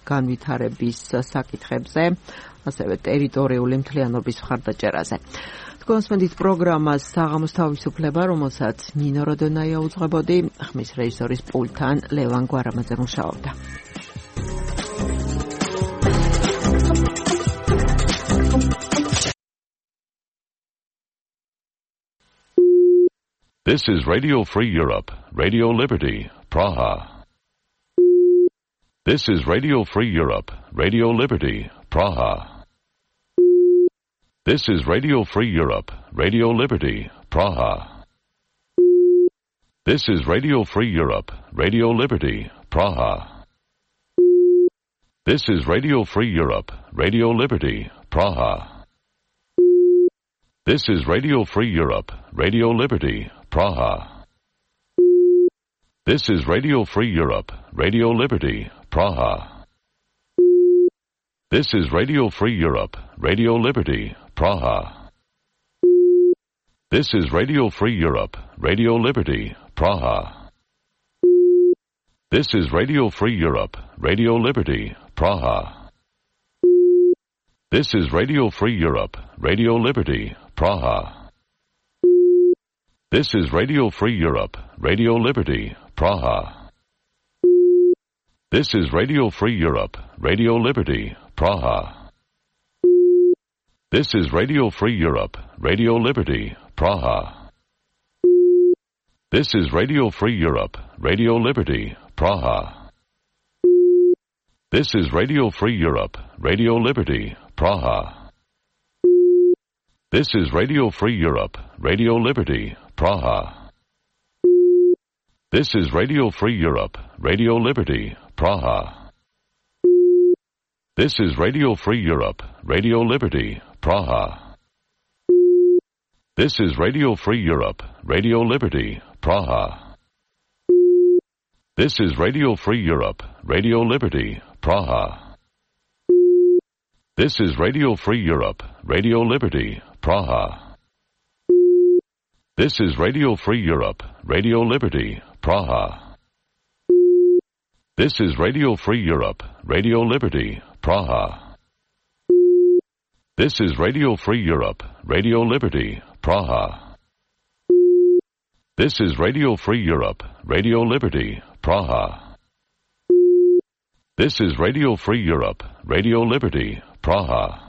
განვითარების საკითხებზე, ასევე ტერიტორიული მთლიანობის მხარდაჭერაზე. კონსმენდით პროგრამას საღამოს თავისუფლება, რომელსაც ნინო როდონაია უძღვებოდი, ხმის რეჟისორის პულტთან ლევან გვარამაძე მუშაობდა. This is Radio Free Europe, Radio Liberty, Praha. This is Radio Free Europe, Radio Liberty, Praha. This is Radio Free Europe, Radio Liberty, Praha. This is Radio Free Europe, Radio Liberty, Praha. This is Radio Free Europe, Radio Liberty, Praha. This is Radio Free Europe, Radio Liberty, Praha. This is Radio Free Europe, Radio Liberty, Praha. This is Radio Free Europe, Radio Liberty, Praha. This is Radio Free Europe, Radio Liberty, Praha. This is Radio Free Europe, Radio Liberty, Praha. This is Radio Free Europe, Radio Liberty, Praha. This is Radio Free Europe, Radio Liberty, Praha. This is Radio Free Europe, Radio Liberty, Praha. This is Radio Free Europe, Radio Liberty, Praha. This is Radio Free Europe, Radio Liberty, Praha. This is Radio Free Europe, Radio Liberty, Praha. This is Radio Free Europe, Radio Liberty, Praha. This is Radio Free Europe, Radio Liberty, Praha. This is Radio Free Europe, Radio Liberty, Praha. This is Radio Free Europe, Radio Liberty, Praha. This is Radio Free Europe, Radio Liberty, Praha. This is Radio Free Europe, Radio Liberty, Praha. This is Radio Free Europe, Radio Liberty, Praha. This is Radio Free Europe, Radio Liberty, Praha. This is Radio Free Europe, Radio Liberty, Praha. This is Radio Free Europe, Radio Liberty, Praha. This is Radio Free Europe, Radio Liberty, Praha.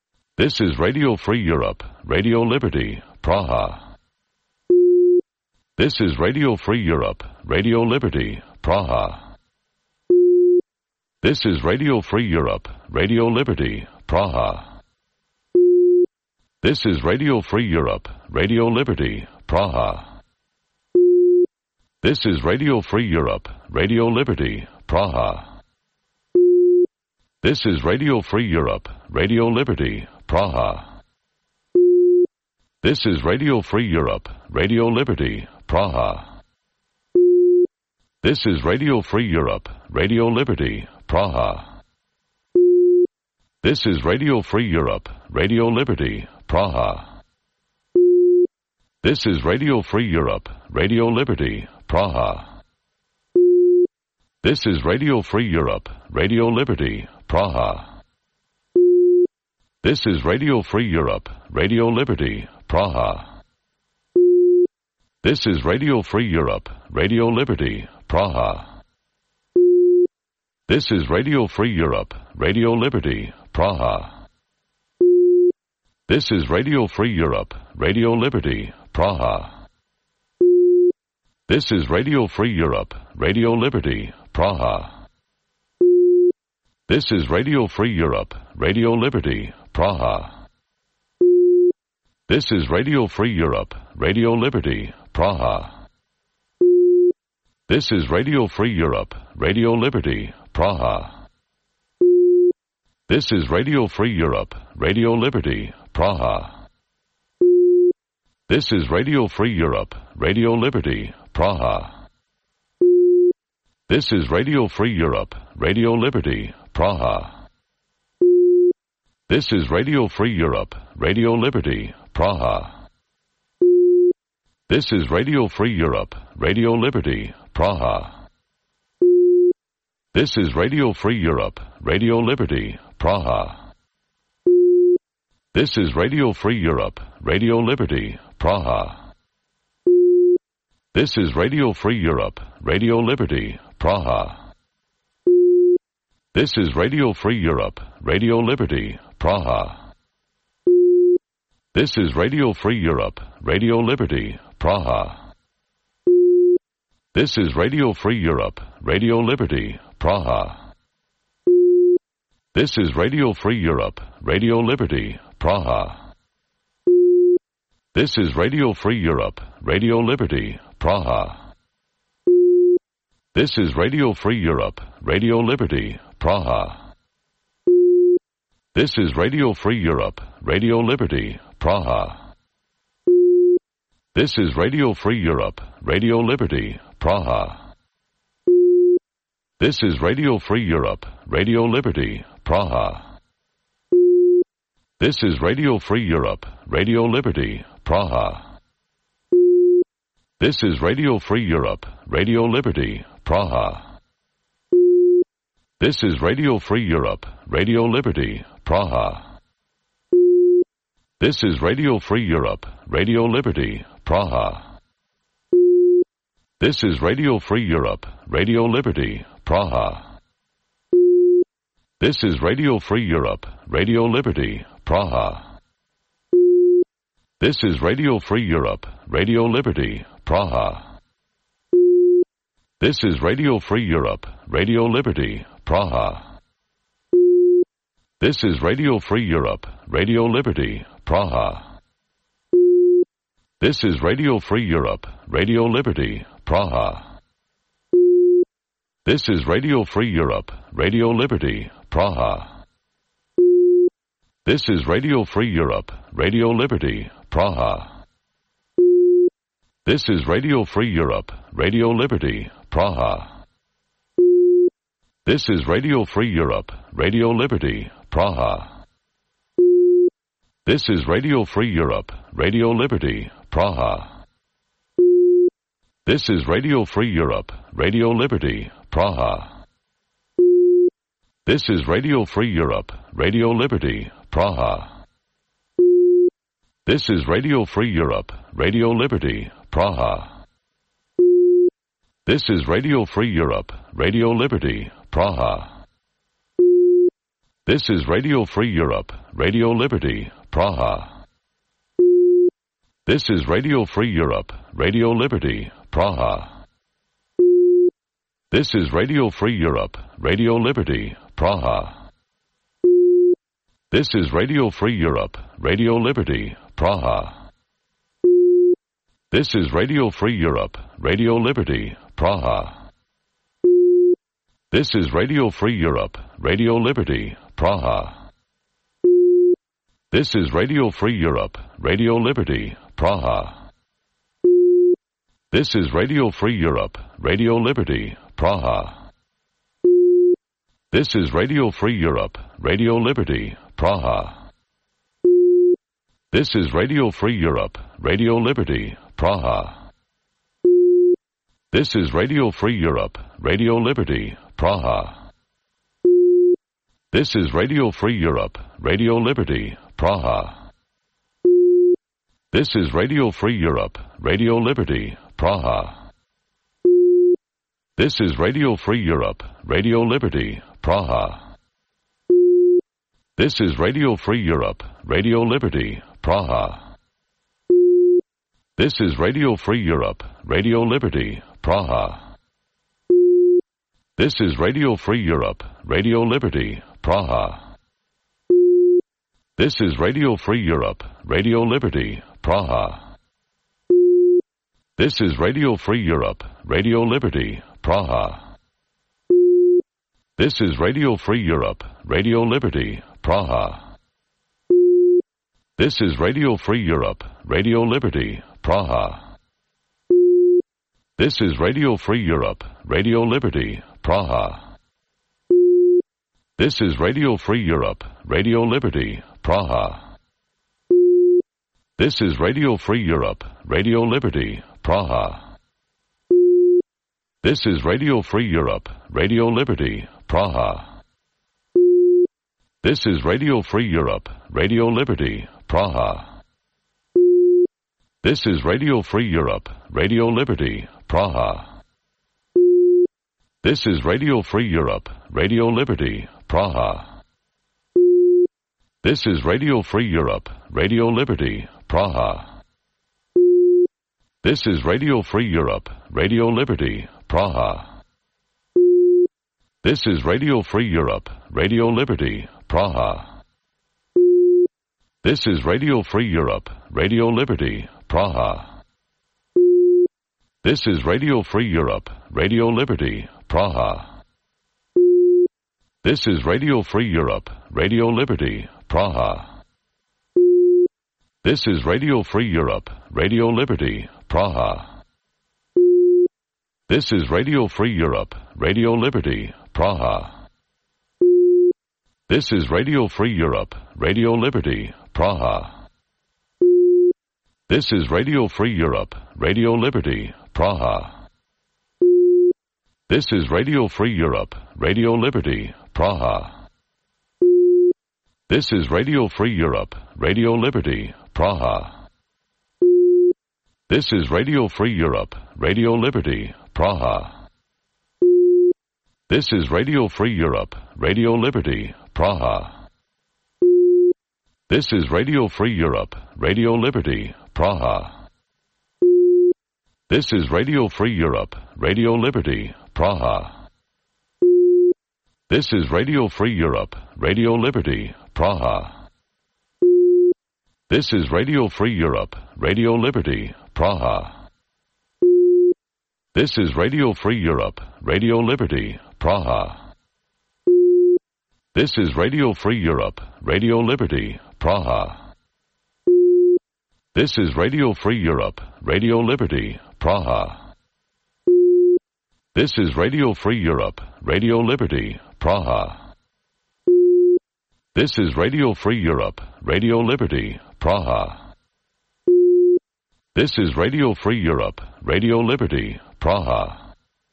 This is Radio Free Europe, Radio Liberty, Praha. This is Radio Free Europe, Radio Liberty, Praha. This is Radio Free Europe, Radio Liberty, Praha. This is Radio Free Europe, Radio Liberty, Praha. This is Radio Free Europe, Radio Liberty, Praha. This is Radio Free Europe, Radio Liberty, Praha. This is Radio Free Europe, Radio Liberty, Praha. This is Radio Free Europe, Radio Liberty, Praha. This is Radio Free Europe, Radio Liberty, Praha. This is Radio Free Europe, Radio Liberty, Praha. This is Radio Free Europe, Radio Liberty, Praha. This is Radio Free Europe, Radio Liberty, Praha. This is Radio Free Europe, Radio Liberty, Praha. This is Radio Free Europe, Radio Liberty, Praha. This is Radio Free Europe, Radio Liberty, Praha. This is Radio Free Europe, Radio Liberty, Praha. This is Radio Free Europe, Radio Liberty, Praha. This is Radio Free Europe, Radio Liberty, Praha. This is Radio Free Europe, Radio Liberty, Praha. This is Radio Free Europe, Radio Liberty, Praha. This is Radio Free Europe, Radio Liberty, Praha. This is Radio Free Europe, Radio Liberty, Praha. This is Radio Free Europe, Radio Liberty, Praha. This is Radio Free Europe, Radio Liberty, Praha. This is Radio Free Europe, Radio Liberty, Praha. This is Radio Free Europe, Radio Liberty, Praha. This is Radio Free Europe, Radio Liberty, Praha. This is Radio Free Europe, Radio Liberty, Praha. This is Radio Free Europe, Radio Liberty, Praha. This is Radio Free Europe, Radio Liberty, Praha. This is Radio Free Europe, Radio Liberty, Praha. This is Radio Free Europe, Radio Liberty, Praha. This is Radio Free Europe, Radio Liberty, Praha. This is Radio Free Europe, Radio Liberty, Praha. This is Radio Free Europe, Radio Liberty, Praha. This is Radio Free Europe, Radio Liberty, Praha. This is Radio Free Europe, Radio Liberty, Praha. This is Radio Free Europe, Radio Liberty, Praha. This is Radio Free Europe, Radio Liberty, Praha. This is Radio Free Europe, Radio Liberty, Praha. This is Radio Free Europe, Radio Liberty, Praha. This is Radio Free Europe, Radio Liberty, Praha. This is Radio Free Europe, Radio Liberty, Praha. This is Radio Free Europe, Radio Liberty, Praha. This is Radio Free Europe, Radio Liberty, Praha. This is Radio Free Europe, Radio Liberty, Praha. This is Radio Free Europe, Radio Liberty, Praha. This is Radio Free Europe, Radio Liberty, Praha. This is Radio Free Europe, Radio Liberty, Praha. This is Radio Free Europe, Radio Liberty, Praha. This is Radio Free Europe, Radio Liberty, Praha. This is Radio Free Europe, Radio Liberty, Praha. This is Radio Free Europe, Radio Liberty, Praha. This is Radio Free Europe, Radio Liberty, Praha. This is Radio Free Europe, Radio Liberty, Praha. This is Radio Free Europe, Radio Liberty, Praha. This is Radio Free Europe, Radio Liberty, Praha. This is Radio Free Europe, Radio Liberty, Praha. This is Radio Free Europe, Radio Liberty, Praha. This is Radio Free Europe, Radio Liberty, Praha. This is Radio Free Europe, Radio Liberty, Praha. This is Radio Free Europe, Radio Liberty, Praha. This is Radio Free Europe, Radio Liberty, Praha. This is Radio Free Europe, Radio Liberty, Praha. This is Radio Free Europe, Radio Liberty, Praha. This is Radio Free Europe, Radio Liberty, Praha. This is Radio Free Europe, Radio Liberty, Praha. This is Radio Free Europe, Radio Liberty, Praha. This is Radio Free Europe, Radio Liberty, Praha. This is Radio Free Europe, Radio Liberty, Praha. This is Radio Free Europe, Radio Liberty, Praha. This is Radio Free Europe, Radio Liberty, Praha. This is Radio Free Europe, Radio Liberty, Praha. This is Radio Free Europe, Radio Liberty, Praha. This is Radio Free Europe, Radio Liberty, Praha. This is Radio Free Europe, Radio Liberty, Praha. This is Radio Free Europe, Radio Liberty, Praha. This is Radio Free Europe, Radio Liberty, Praha. This is Radio Free Europe, Radio Liberty, Praha. This is Radio Free Europe, Radio Liberty, Praha. This is Radio Free Europe, Radio Liberty, Praha. This is Radio Free Europe, Radio Liberty, Praha. This is Radio Free Europe, Radio Liberty, Praha. This is Radio Free Europe, Radio Liberty, Praha. This is Radio Free Europe, Radio Liberty, Praha. This is Radio Free Europe, Radio Liberty, Praha. This is Radio Free Europe, Radio Liberty, Praha. This is Radio Free Europe, Radio Liberty, Praha. This is Radio Free Europe, Radio Liberty, Praha. This is Radio Free Europe, Radio Liberty, Praha. This is Radio Free Europe, Radio Liberty, Praha. This is Radio Free Europe, Radio Liberty, Praha. This is Radio Free Europe, Radio Liberty, Praha. This is Radio Free Europe, Radio Liberty, Praha. This is Radio Free Europe, Radio Liberty, Praha. This is Radio Free Europe, Radio Liberty, Praha. This is Radio Free Europe, Radio Liberty, Praha. This is Radio Free Europe, Radio Liberty, Praha. This is Radio Free Europe, Radio Liberty, Praha. This is Radio Free Europe, Radio Liberty, Praha. This is Radio Free Europe, Radio Liberty, Praha. This is Radio Free Europe, Radio Liberty, Praha. This is Radio Free Europe, Radio Liberty, Praha. This is Radio Free Europe, Radio Liberty, Praha. This is Radio Free Europe, Radio Liberty, Praha. This is Radio Free Europe, Radio Liberty, Praha. This is Radio Free Europe, Radio Liberty, Praha.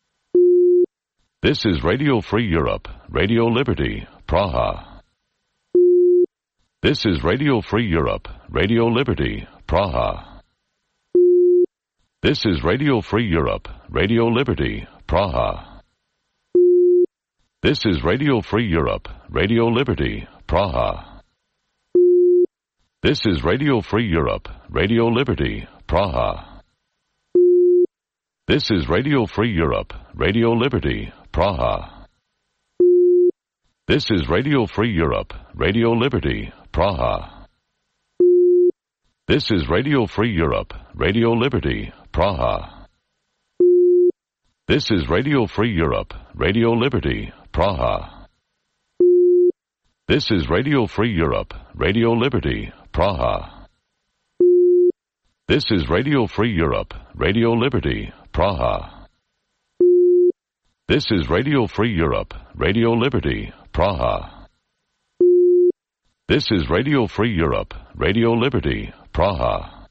This is Radio Free Europe, Radio Liberty, Praha. This is Radio Free Europe, Radio Liberty, Praha. This is Radio Free Europe, Radio Liberty, Praha. This is Radio Free Europe, Radio Liberty, Praha. This is Radio Free Europe, Radio Liberty, Praha. This is Radio Free Europe, Radio Liberty, Praha. This is Radio Free Europe, Radio Liberty, Praha. This is Radio Free Europe, Radio Liberty, Praha. This is Radio Free Europe, Radio Liberty, Praha. This is Radio Free Europe, Radio Liberty, Praha. This is Radio Free Europe, Radio Liberty, Praha. This is Radio Free Europe, Radio Liberty, Praha. This is Radio Free Europe, Radio Liberty, Praha.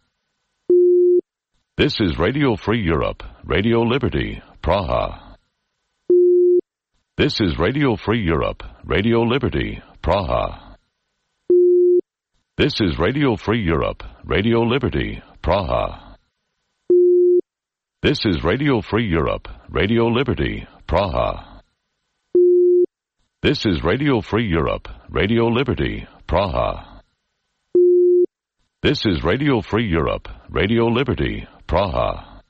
This is Radio Free Europe, Radio Liberty, Praha. This is Radio Free Europe, Radio Liberty, Praha. This is Radio Free Europe, Radio Liberty, Praha. This is Radio Free Europe, Radio Liberty, Praha. This is Radio Free Europe, Radio Liberty, Praha. This is Radio Free Europe, Radio Liberty, Praha.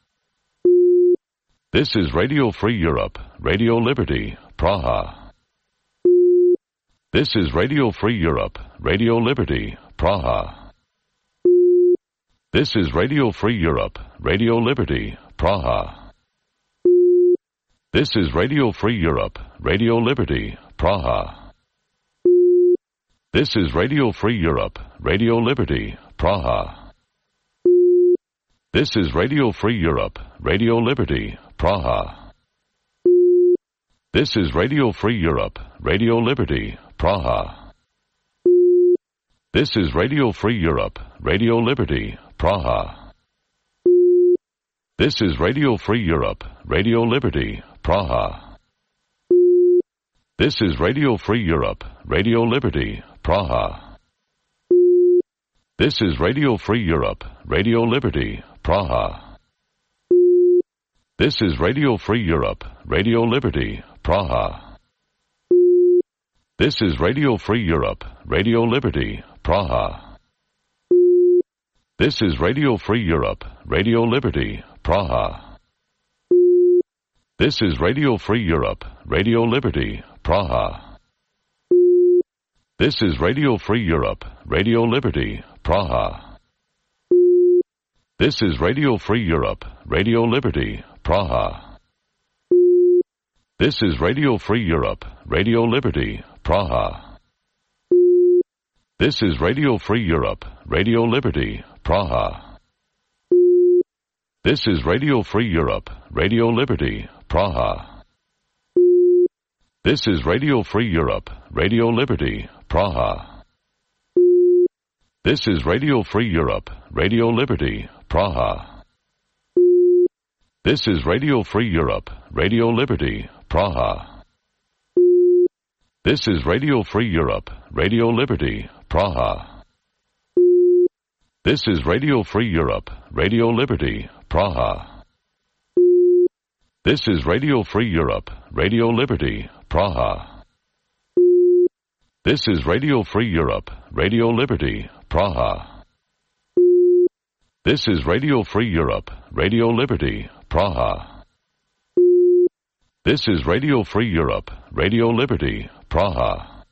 This is Radio Free Europe, Radio Liberty, Praha. This is Radio Free Europe, Radio Liberty, Praha. This is Radio Free Europe, Radio Liberty, Praha. This is Radio Free Europe, Radio Liberty, Praha. This is Radio Free Europe, Radio Liberty, Praha. This is Radio Free Europe, Radio Liberty, Praha. This is Radio Free Europe, Radio Liberty, Praha. This is Radio Free Europe, Radio Liberty, Praha. This is Radio Free Europe, Radio Liberty, Praha. This is Radio Free Europe, Radio Liberty, Praha. This is Radio Free Europe, Radio Liberty, Praha. This is Radio Free Europe, Radio Liberty, Praha. This is Radio Free Europe, Radio Liberty, Praha. This is Radio Free Europe, Radio Liberty, Praha. This is Radio Free Europe, Radio Liberty, Praha. This is Radio Free Europe, Radio Liberty, Praha. This is Radio Free Europe, Radio Liberty, Praha. This is Radio Free Europe, Radio Liberty, Praha. This is Radio Free Europe, Radio Liberty, Praha. This is Radio Free Europe, Radio Liberty, Praha. This is Radio Free Europe, Radio Liberty, Praha. This is Radio Free Europe, Radio Liberty, Praha. This is Radio Free Europe, Radio Liberty, Praha. This is Radio Free Europe, Radio Liberty, Praha. This is Radio Free Europe, Radio Liberty, Praha. This is Radio Free Europe, Radio Liberty, Praha. This is Radio Free Europe, Radio Liberty, Praha. This is Radio Free Europe, Radio Liberty, Praha. This is Radio Free Europe, Radio Liberty, Praha.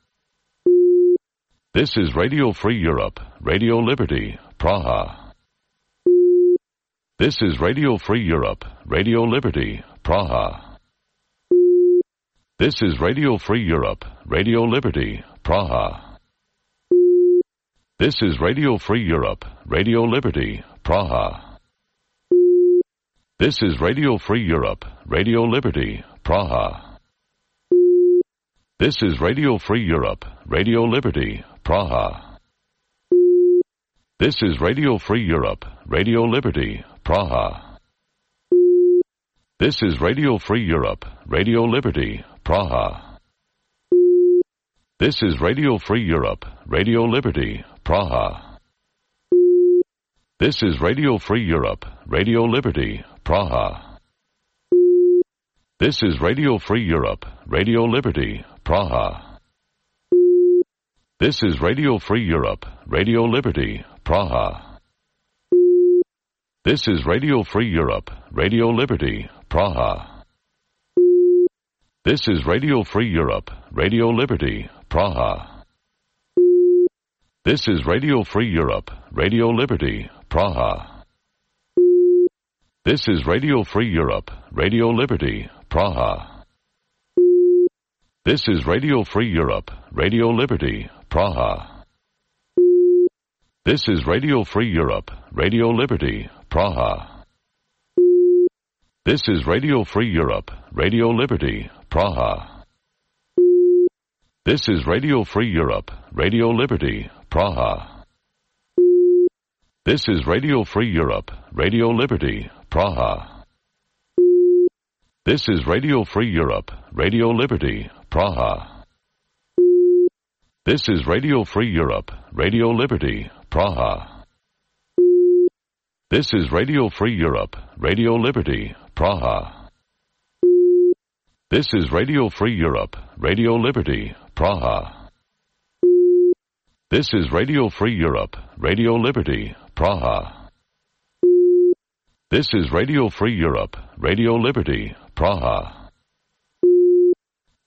This is Radio Free Europe, Radio Liberty, Praha. This is Radio Free Europe, Radio Liberty, Praha. This is Radio Free Europe, Radio Liberty, Praha. This is Radio Free Europe, Radio Liberty, Praha. This is Radio Free Europe, Radio Liberty, Praha. This is Radio Free Europe, Radio Liberty, Praha. This is Radio Free Europe, Radio Liberty, Praha. This is Radio Free Europe, Radio Liberty, Praha. This is Radio Free Europe, Radio Liberty, Praha. This is Radio Free Europe, Radio Liberty, Praha. This is Radio Free Europe, Radio Liberty, Praha. This is Radio Free Europe, Radio Liberty, Praha. This is Radio Free Europe, Radio Liberty, Praha. This is Radio Free Europe, Radio Liberty, Praha. This is Radio Free Europe, Radio Liberty, Praha. This is Radio Free Europe, Radio Liberty, Praha. This is Radio Free Europe, Radio Liberty, Praha. This is Radio Free Europe, Radio Liberty, Praha. This is Radio Free Europe, Radio Liberty, Praha. This is Radio Free Europe, Radio Liberty, Praha. This is Radio Free Europe, Radio Liberty, Praha. This is Radio Free Europe, Radio Liberty, Praha. This is Radio Free Europe, Radio Liberty, Praha. This is Radio Free Europe, Radio Liberty, Praha. This is Radio Free Europe, Radio Liberty, Praha. This is Radio Free Europe, Radio Liberty, Praha. This is Radio Free Europe, Radio Liberty, Praha.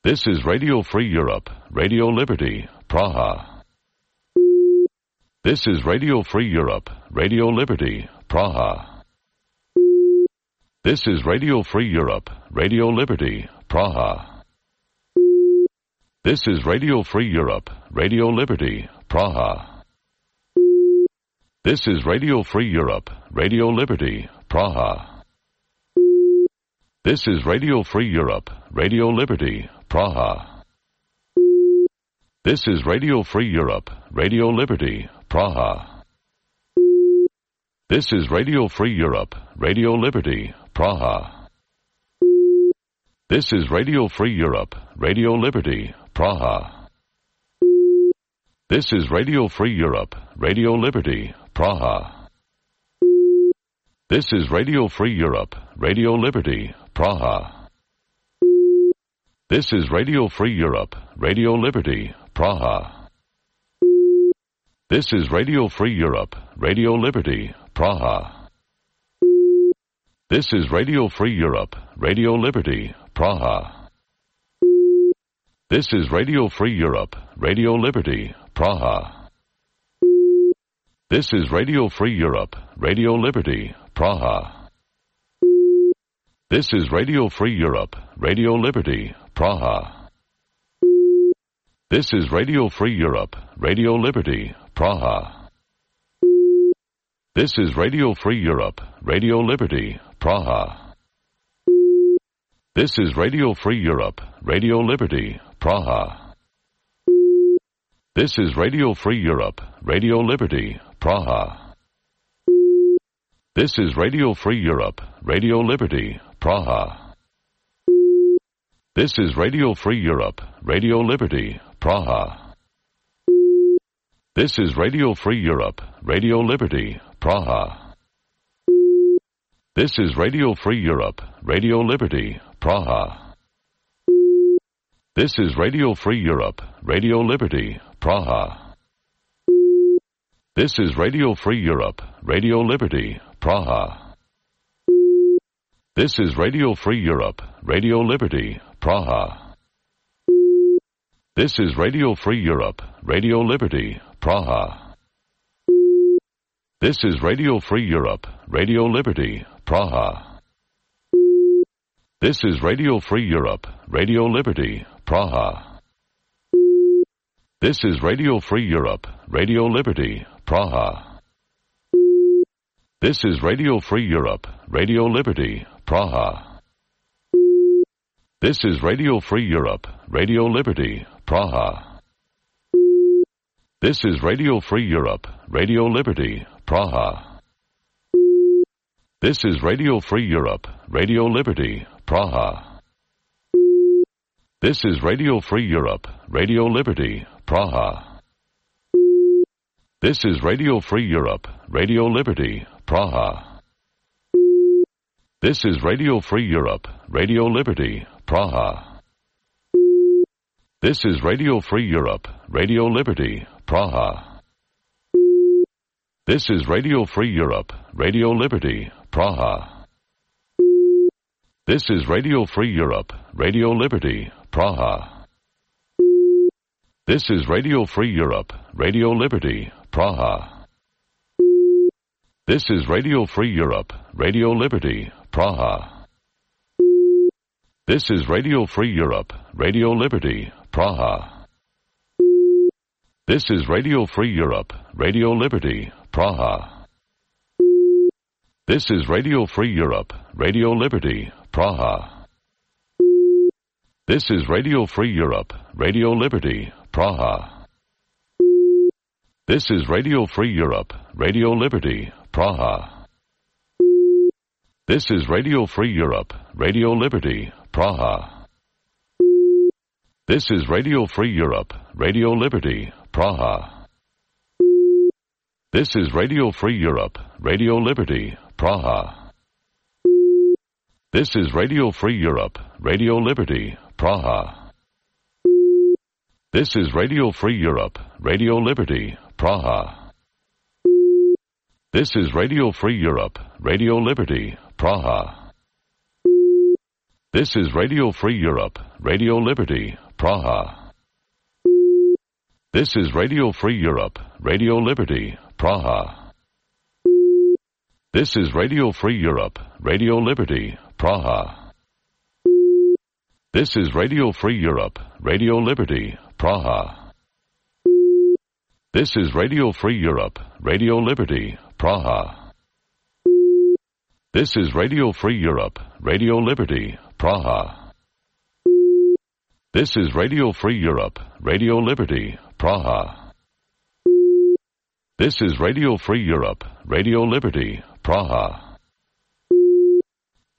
This is Radio Free Europe, Radio Liberty, Praha. This is Radio Free Europe, Radio Liberty, Praha. This is Radio Free Europe, Radio Liberty, Praha. This is Radio Free Europe, Radio Liberty, Praha. This is Radio Free Europe, Radio Liberty, Praha. This is Radio Free Europe, Radio Liberty, Praha. This is Radio Free Europe, Radio Liberty, Praha. This is Radio Free Europe, Radio Liberty, Praha. This is Radio Free Europe, Radio Liberty, Praha. This is Radio Free Europe, Radio Liberty, Praha. This is Radio Free Europe, Radio Liberty, Praha. This is Radio Free Europe, Radio Liberty, Praha. This is Radio Free Europe, Radio Liberty, Praha. This is Radio Free Europe, Radio Liberty, Praha. This is Radio Free Europe, Radio Liberty, Praha. This is Radio Free Europe, Radio Liberty, Praha. This is Radio Free Europe, Radio Liberty, Praha. This is Radio Free Europe, Radio Liberty, Praha. This is Radio Free Europe, Radio Liberty, Praha. This is Radio Free Europe, Radio Liberty, Praha. This is Radio Free Europe, Radio Liberty, Praha. This is Radio Free Europe, Radio Liberty, Praha. This is Radio Free Europe, Radio Liberty, Praha. This is Radio Free Europe, Radio Liberty, Praha. This is Radio Free Europe, Radio Liberty, Praha. This is Radio Free Europe, Radio Liberty, Praha. This is Radio Free Europe, Radio Liberty, Praha. This is Radio Free Europe, Radio Liberty, Praha. This is Radio Free Europe, Radio Liberty, Praha. This is Radio Free Europe, Radio Liberty, Praha. This is Radio Free Europe, Radio Liberty, Praha. This is Radio Free Europe, Radio Liberty, Praha. This is Radio Free Europe, Radio Liberty, Praha. This is Radio Free Europe, Radio Liberty, Praha. This is Radio Free Europe, Radio Liberty, Praha. This is Radio Free Europe, Radio Liberty, Praha. This is Radio Free Europe, Radio Liberty, Praha. This is Radio Free Europe, Radio Liberty, Praha. This is Radio Free Europe, Radio Liberty, Praha. This is Radio Free Europe, Radio Liberty, Praha. This is Radio Free Europe, Radio Liberty, Praha. This is Radio Free Europe, Radio Liberty, Praha. This is Radio Free Europe, Radio Liberty, Praha. This is Radio Free Europe, Radio Liberty, Praha. This is Radio Free Europe, Radio Liberty, Praha. This is Radio Free Europe, Radio Liberty, Praha. This is Radio Free Europe, Radio Liberty, Praha. This is Radio Free Europe, Radio Liberty, Praha. This is Radio Free Europe, Radio Liberty, Praha. This is Radio Free Europe, Radio Liberty, Praha. This is Radio Free Europe, Radio Liberty, Praha. This is Radio Free Europe, Radio Liberty, Praha. This is Radio Free Europe, Radio Liberty, Praha. This is Radio Free Europe, Radio Liberty, Praha. This is Radio Free Europe, Radio Liberty, Praha. This is Radio Free Europe, Radio Liberty, Praha. This is Radio Free Europe, Radio Liberty, Praha. This is Radio Free Europe, Radio Liberty, Praha. This is Radio Free Europe, Radio Liberty, Praha. This is Radio Free Europe, Radio Liberty, Praha. This is Radio Free Europe, Radio Liberty, Praha. This is Radio Free Europe, Radio Liberty, Praha. This is Radio Free Europe, Radio Liberty, Praha.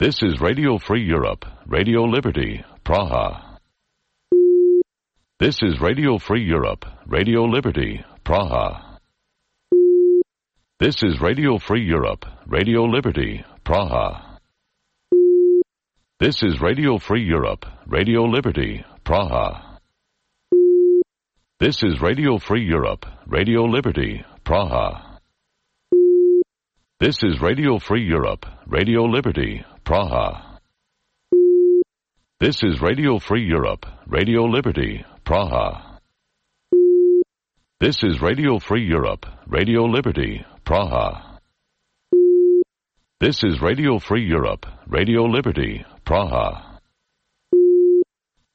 This is Radio Free Europe, Radio Liberty, Praha. This is Radio Free Europe, Radio Liberty, Praha. This is Radio Free Europe, Radio Liberty, Praha. This is Radio Free Europe, Radio Liberty, Praha. This is Radio Free Europe, Radio Liberty, Praha. This is Radio Free Europe, Radio Liberty, Praha. This is Radio Free Europe, Radio Liberty, Praha. This is Radio Free Europe, Radio Liberty, Praha. This is Radio Free Europe, Radio Liberty, Praha.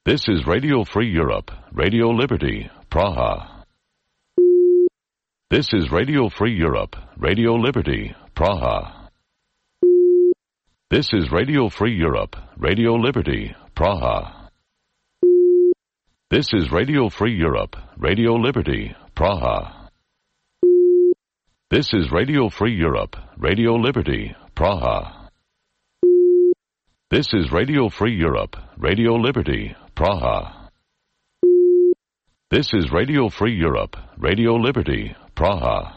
This is Radio Free Europe, Radio Liberty, Praha. This is Radio Free Europe, Radio Liberty, Praha. This is Radio Free Europe, Radio Liberty, Praha. This is Radio Free Europe, Radio Liberty, Praha. This is Radio Free Europe, Radio Liberty, Praha. This is Radio Free Europe, Radio Liberty, Praha. This is Radio Free Europe, Radio Liberty, Praha.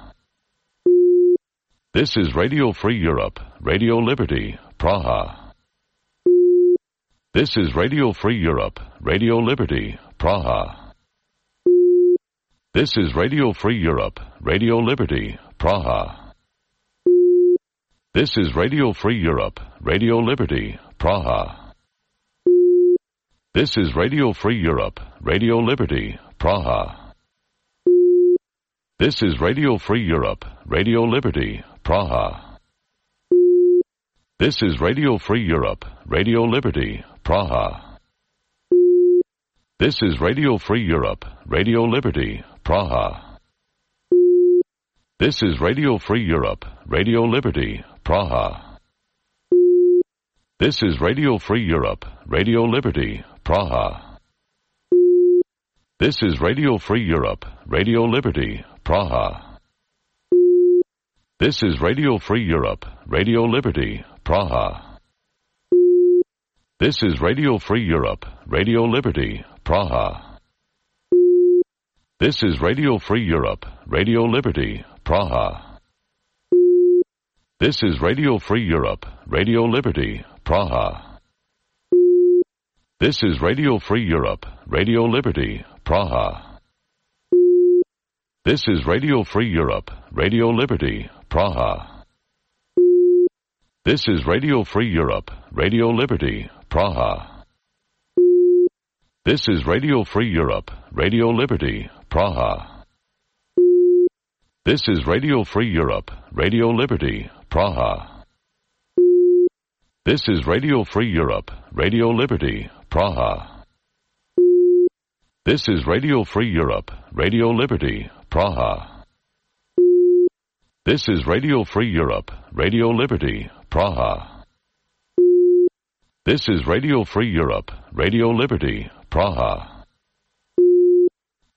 This is Radio Free Europe, Radio Liberty, Praha. This is Radio Free Europe, Radio Liberty, Praha. This is Radio Free Europe, Radio Liberty, Praha. This is Radio Free Europe, Radio Liberty, Praha. This is Radio Free Europe, Radio Liberty, Praha. This is Radio Free Europe, Radio Liberty, Praha. This is Radio Free Europe, Radio Liberty, Praha. This is Radio Free Europe, Radio Liberty, Praha. This is Radio Free Europe, Radio Liberty, Praha. This is Radio Free Europe, Radio Liberty, Praha. This is Radio Free Europe, Radio Liberty, Praha. This is Radio Free Europe, Radio Liberty, Praha. This is Radio Free Europe, Radio Liberty, Praha. This is Radio Free Europe, Radio Liberty, Praha. This is Radio Free Europe, Radio Liberty, Praha. This is Radio Free Europe, Radio Liberty, Praha. This is Radio Free Europe, Radio Liberty, Praha. This is Radio Free Europe, Radio Liberty, Praha. This is Radio Free Europe, Radio Liberty, Praha. This is Radio Free Europe, Radio Liberty, Praha. This is Radio Free Europe, Radio Liberty, Praha. This is Radio Free Europe, Radio Liberty, Praha. This is Radio Free Europe, Radio Liberty, Praha. This is Radio Free Europe, Radio Liberty, Praha.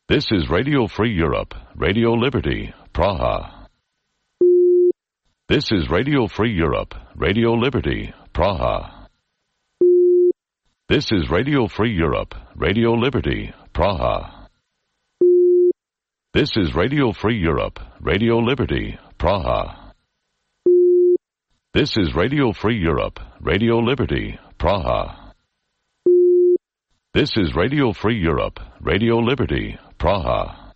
This is Radio Free Europe, Radio Liberty, Praha. This is Radio Free Europe, Radio Liberty, Praha. This is Radio Free Europe, Radio Liberty, Praha. This is Radio Free Europe, Radio Liberty, Praha. This is Radio Free Europe, Radio Liberty, Praha. This is Radio Free Europe, Radio Liberty, Praha.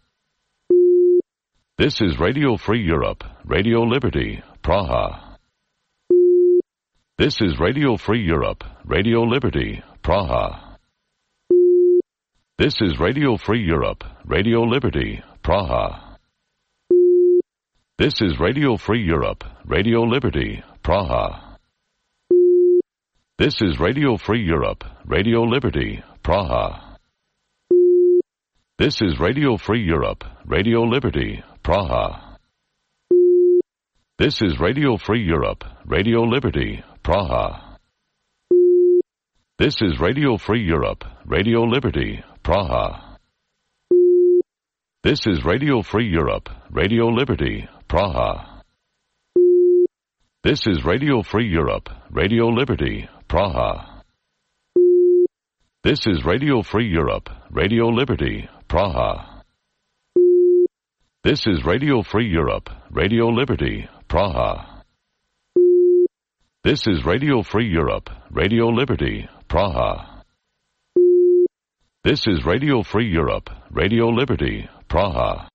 This is Radio Free Europe, Radio Liberty, Praha. This is Radio Free Europe, Radio Liberty, Praha. This is Radio Free Europe, Radio Liberty, Praha. This is Radio Free Europe, Radio Liberty, Praha. This is Radio Free Europe, Radio Liberty, Praha. This is Radio Free Europe, Radio Liberty, Praha. This is Radio Free Europe, Radio Liberty, Praha. This is Radio Free Europe, Radio Liberty, Praha. This is Radio Free Europe, Radio Liberty, Praha. This is Radio Free Europe, Radio Liberty, Praha. This is Radio Free Europe, Radio Liberty, Praha. This is Radio Free Europe, Radio Liberty, Praha. This is Radio Free Europe, Radio Liberty, Praha. This is Radio Free Europe, Radio Liberty, Praha.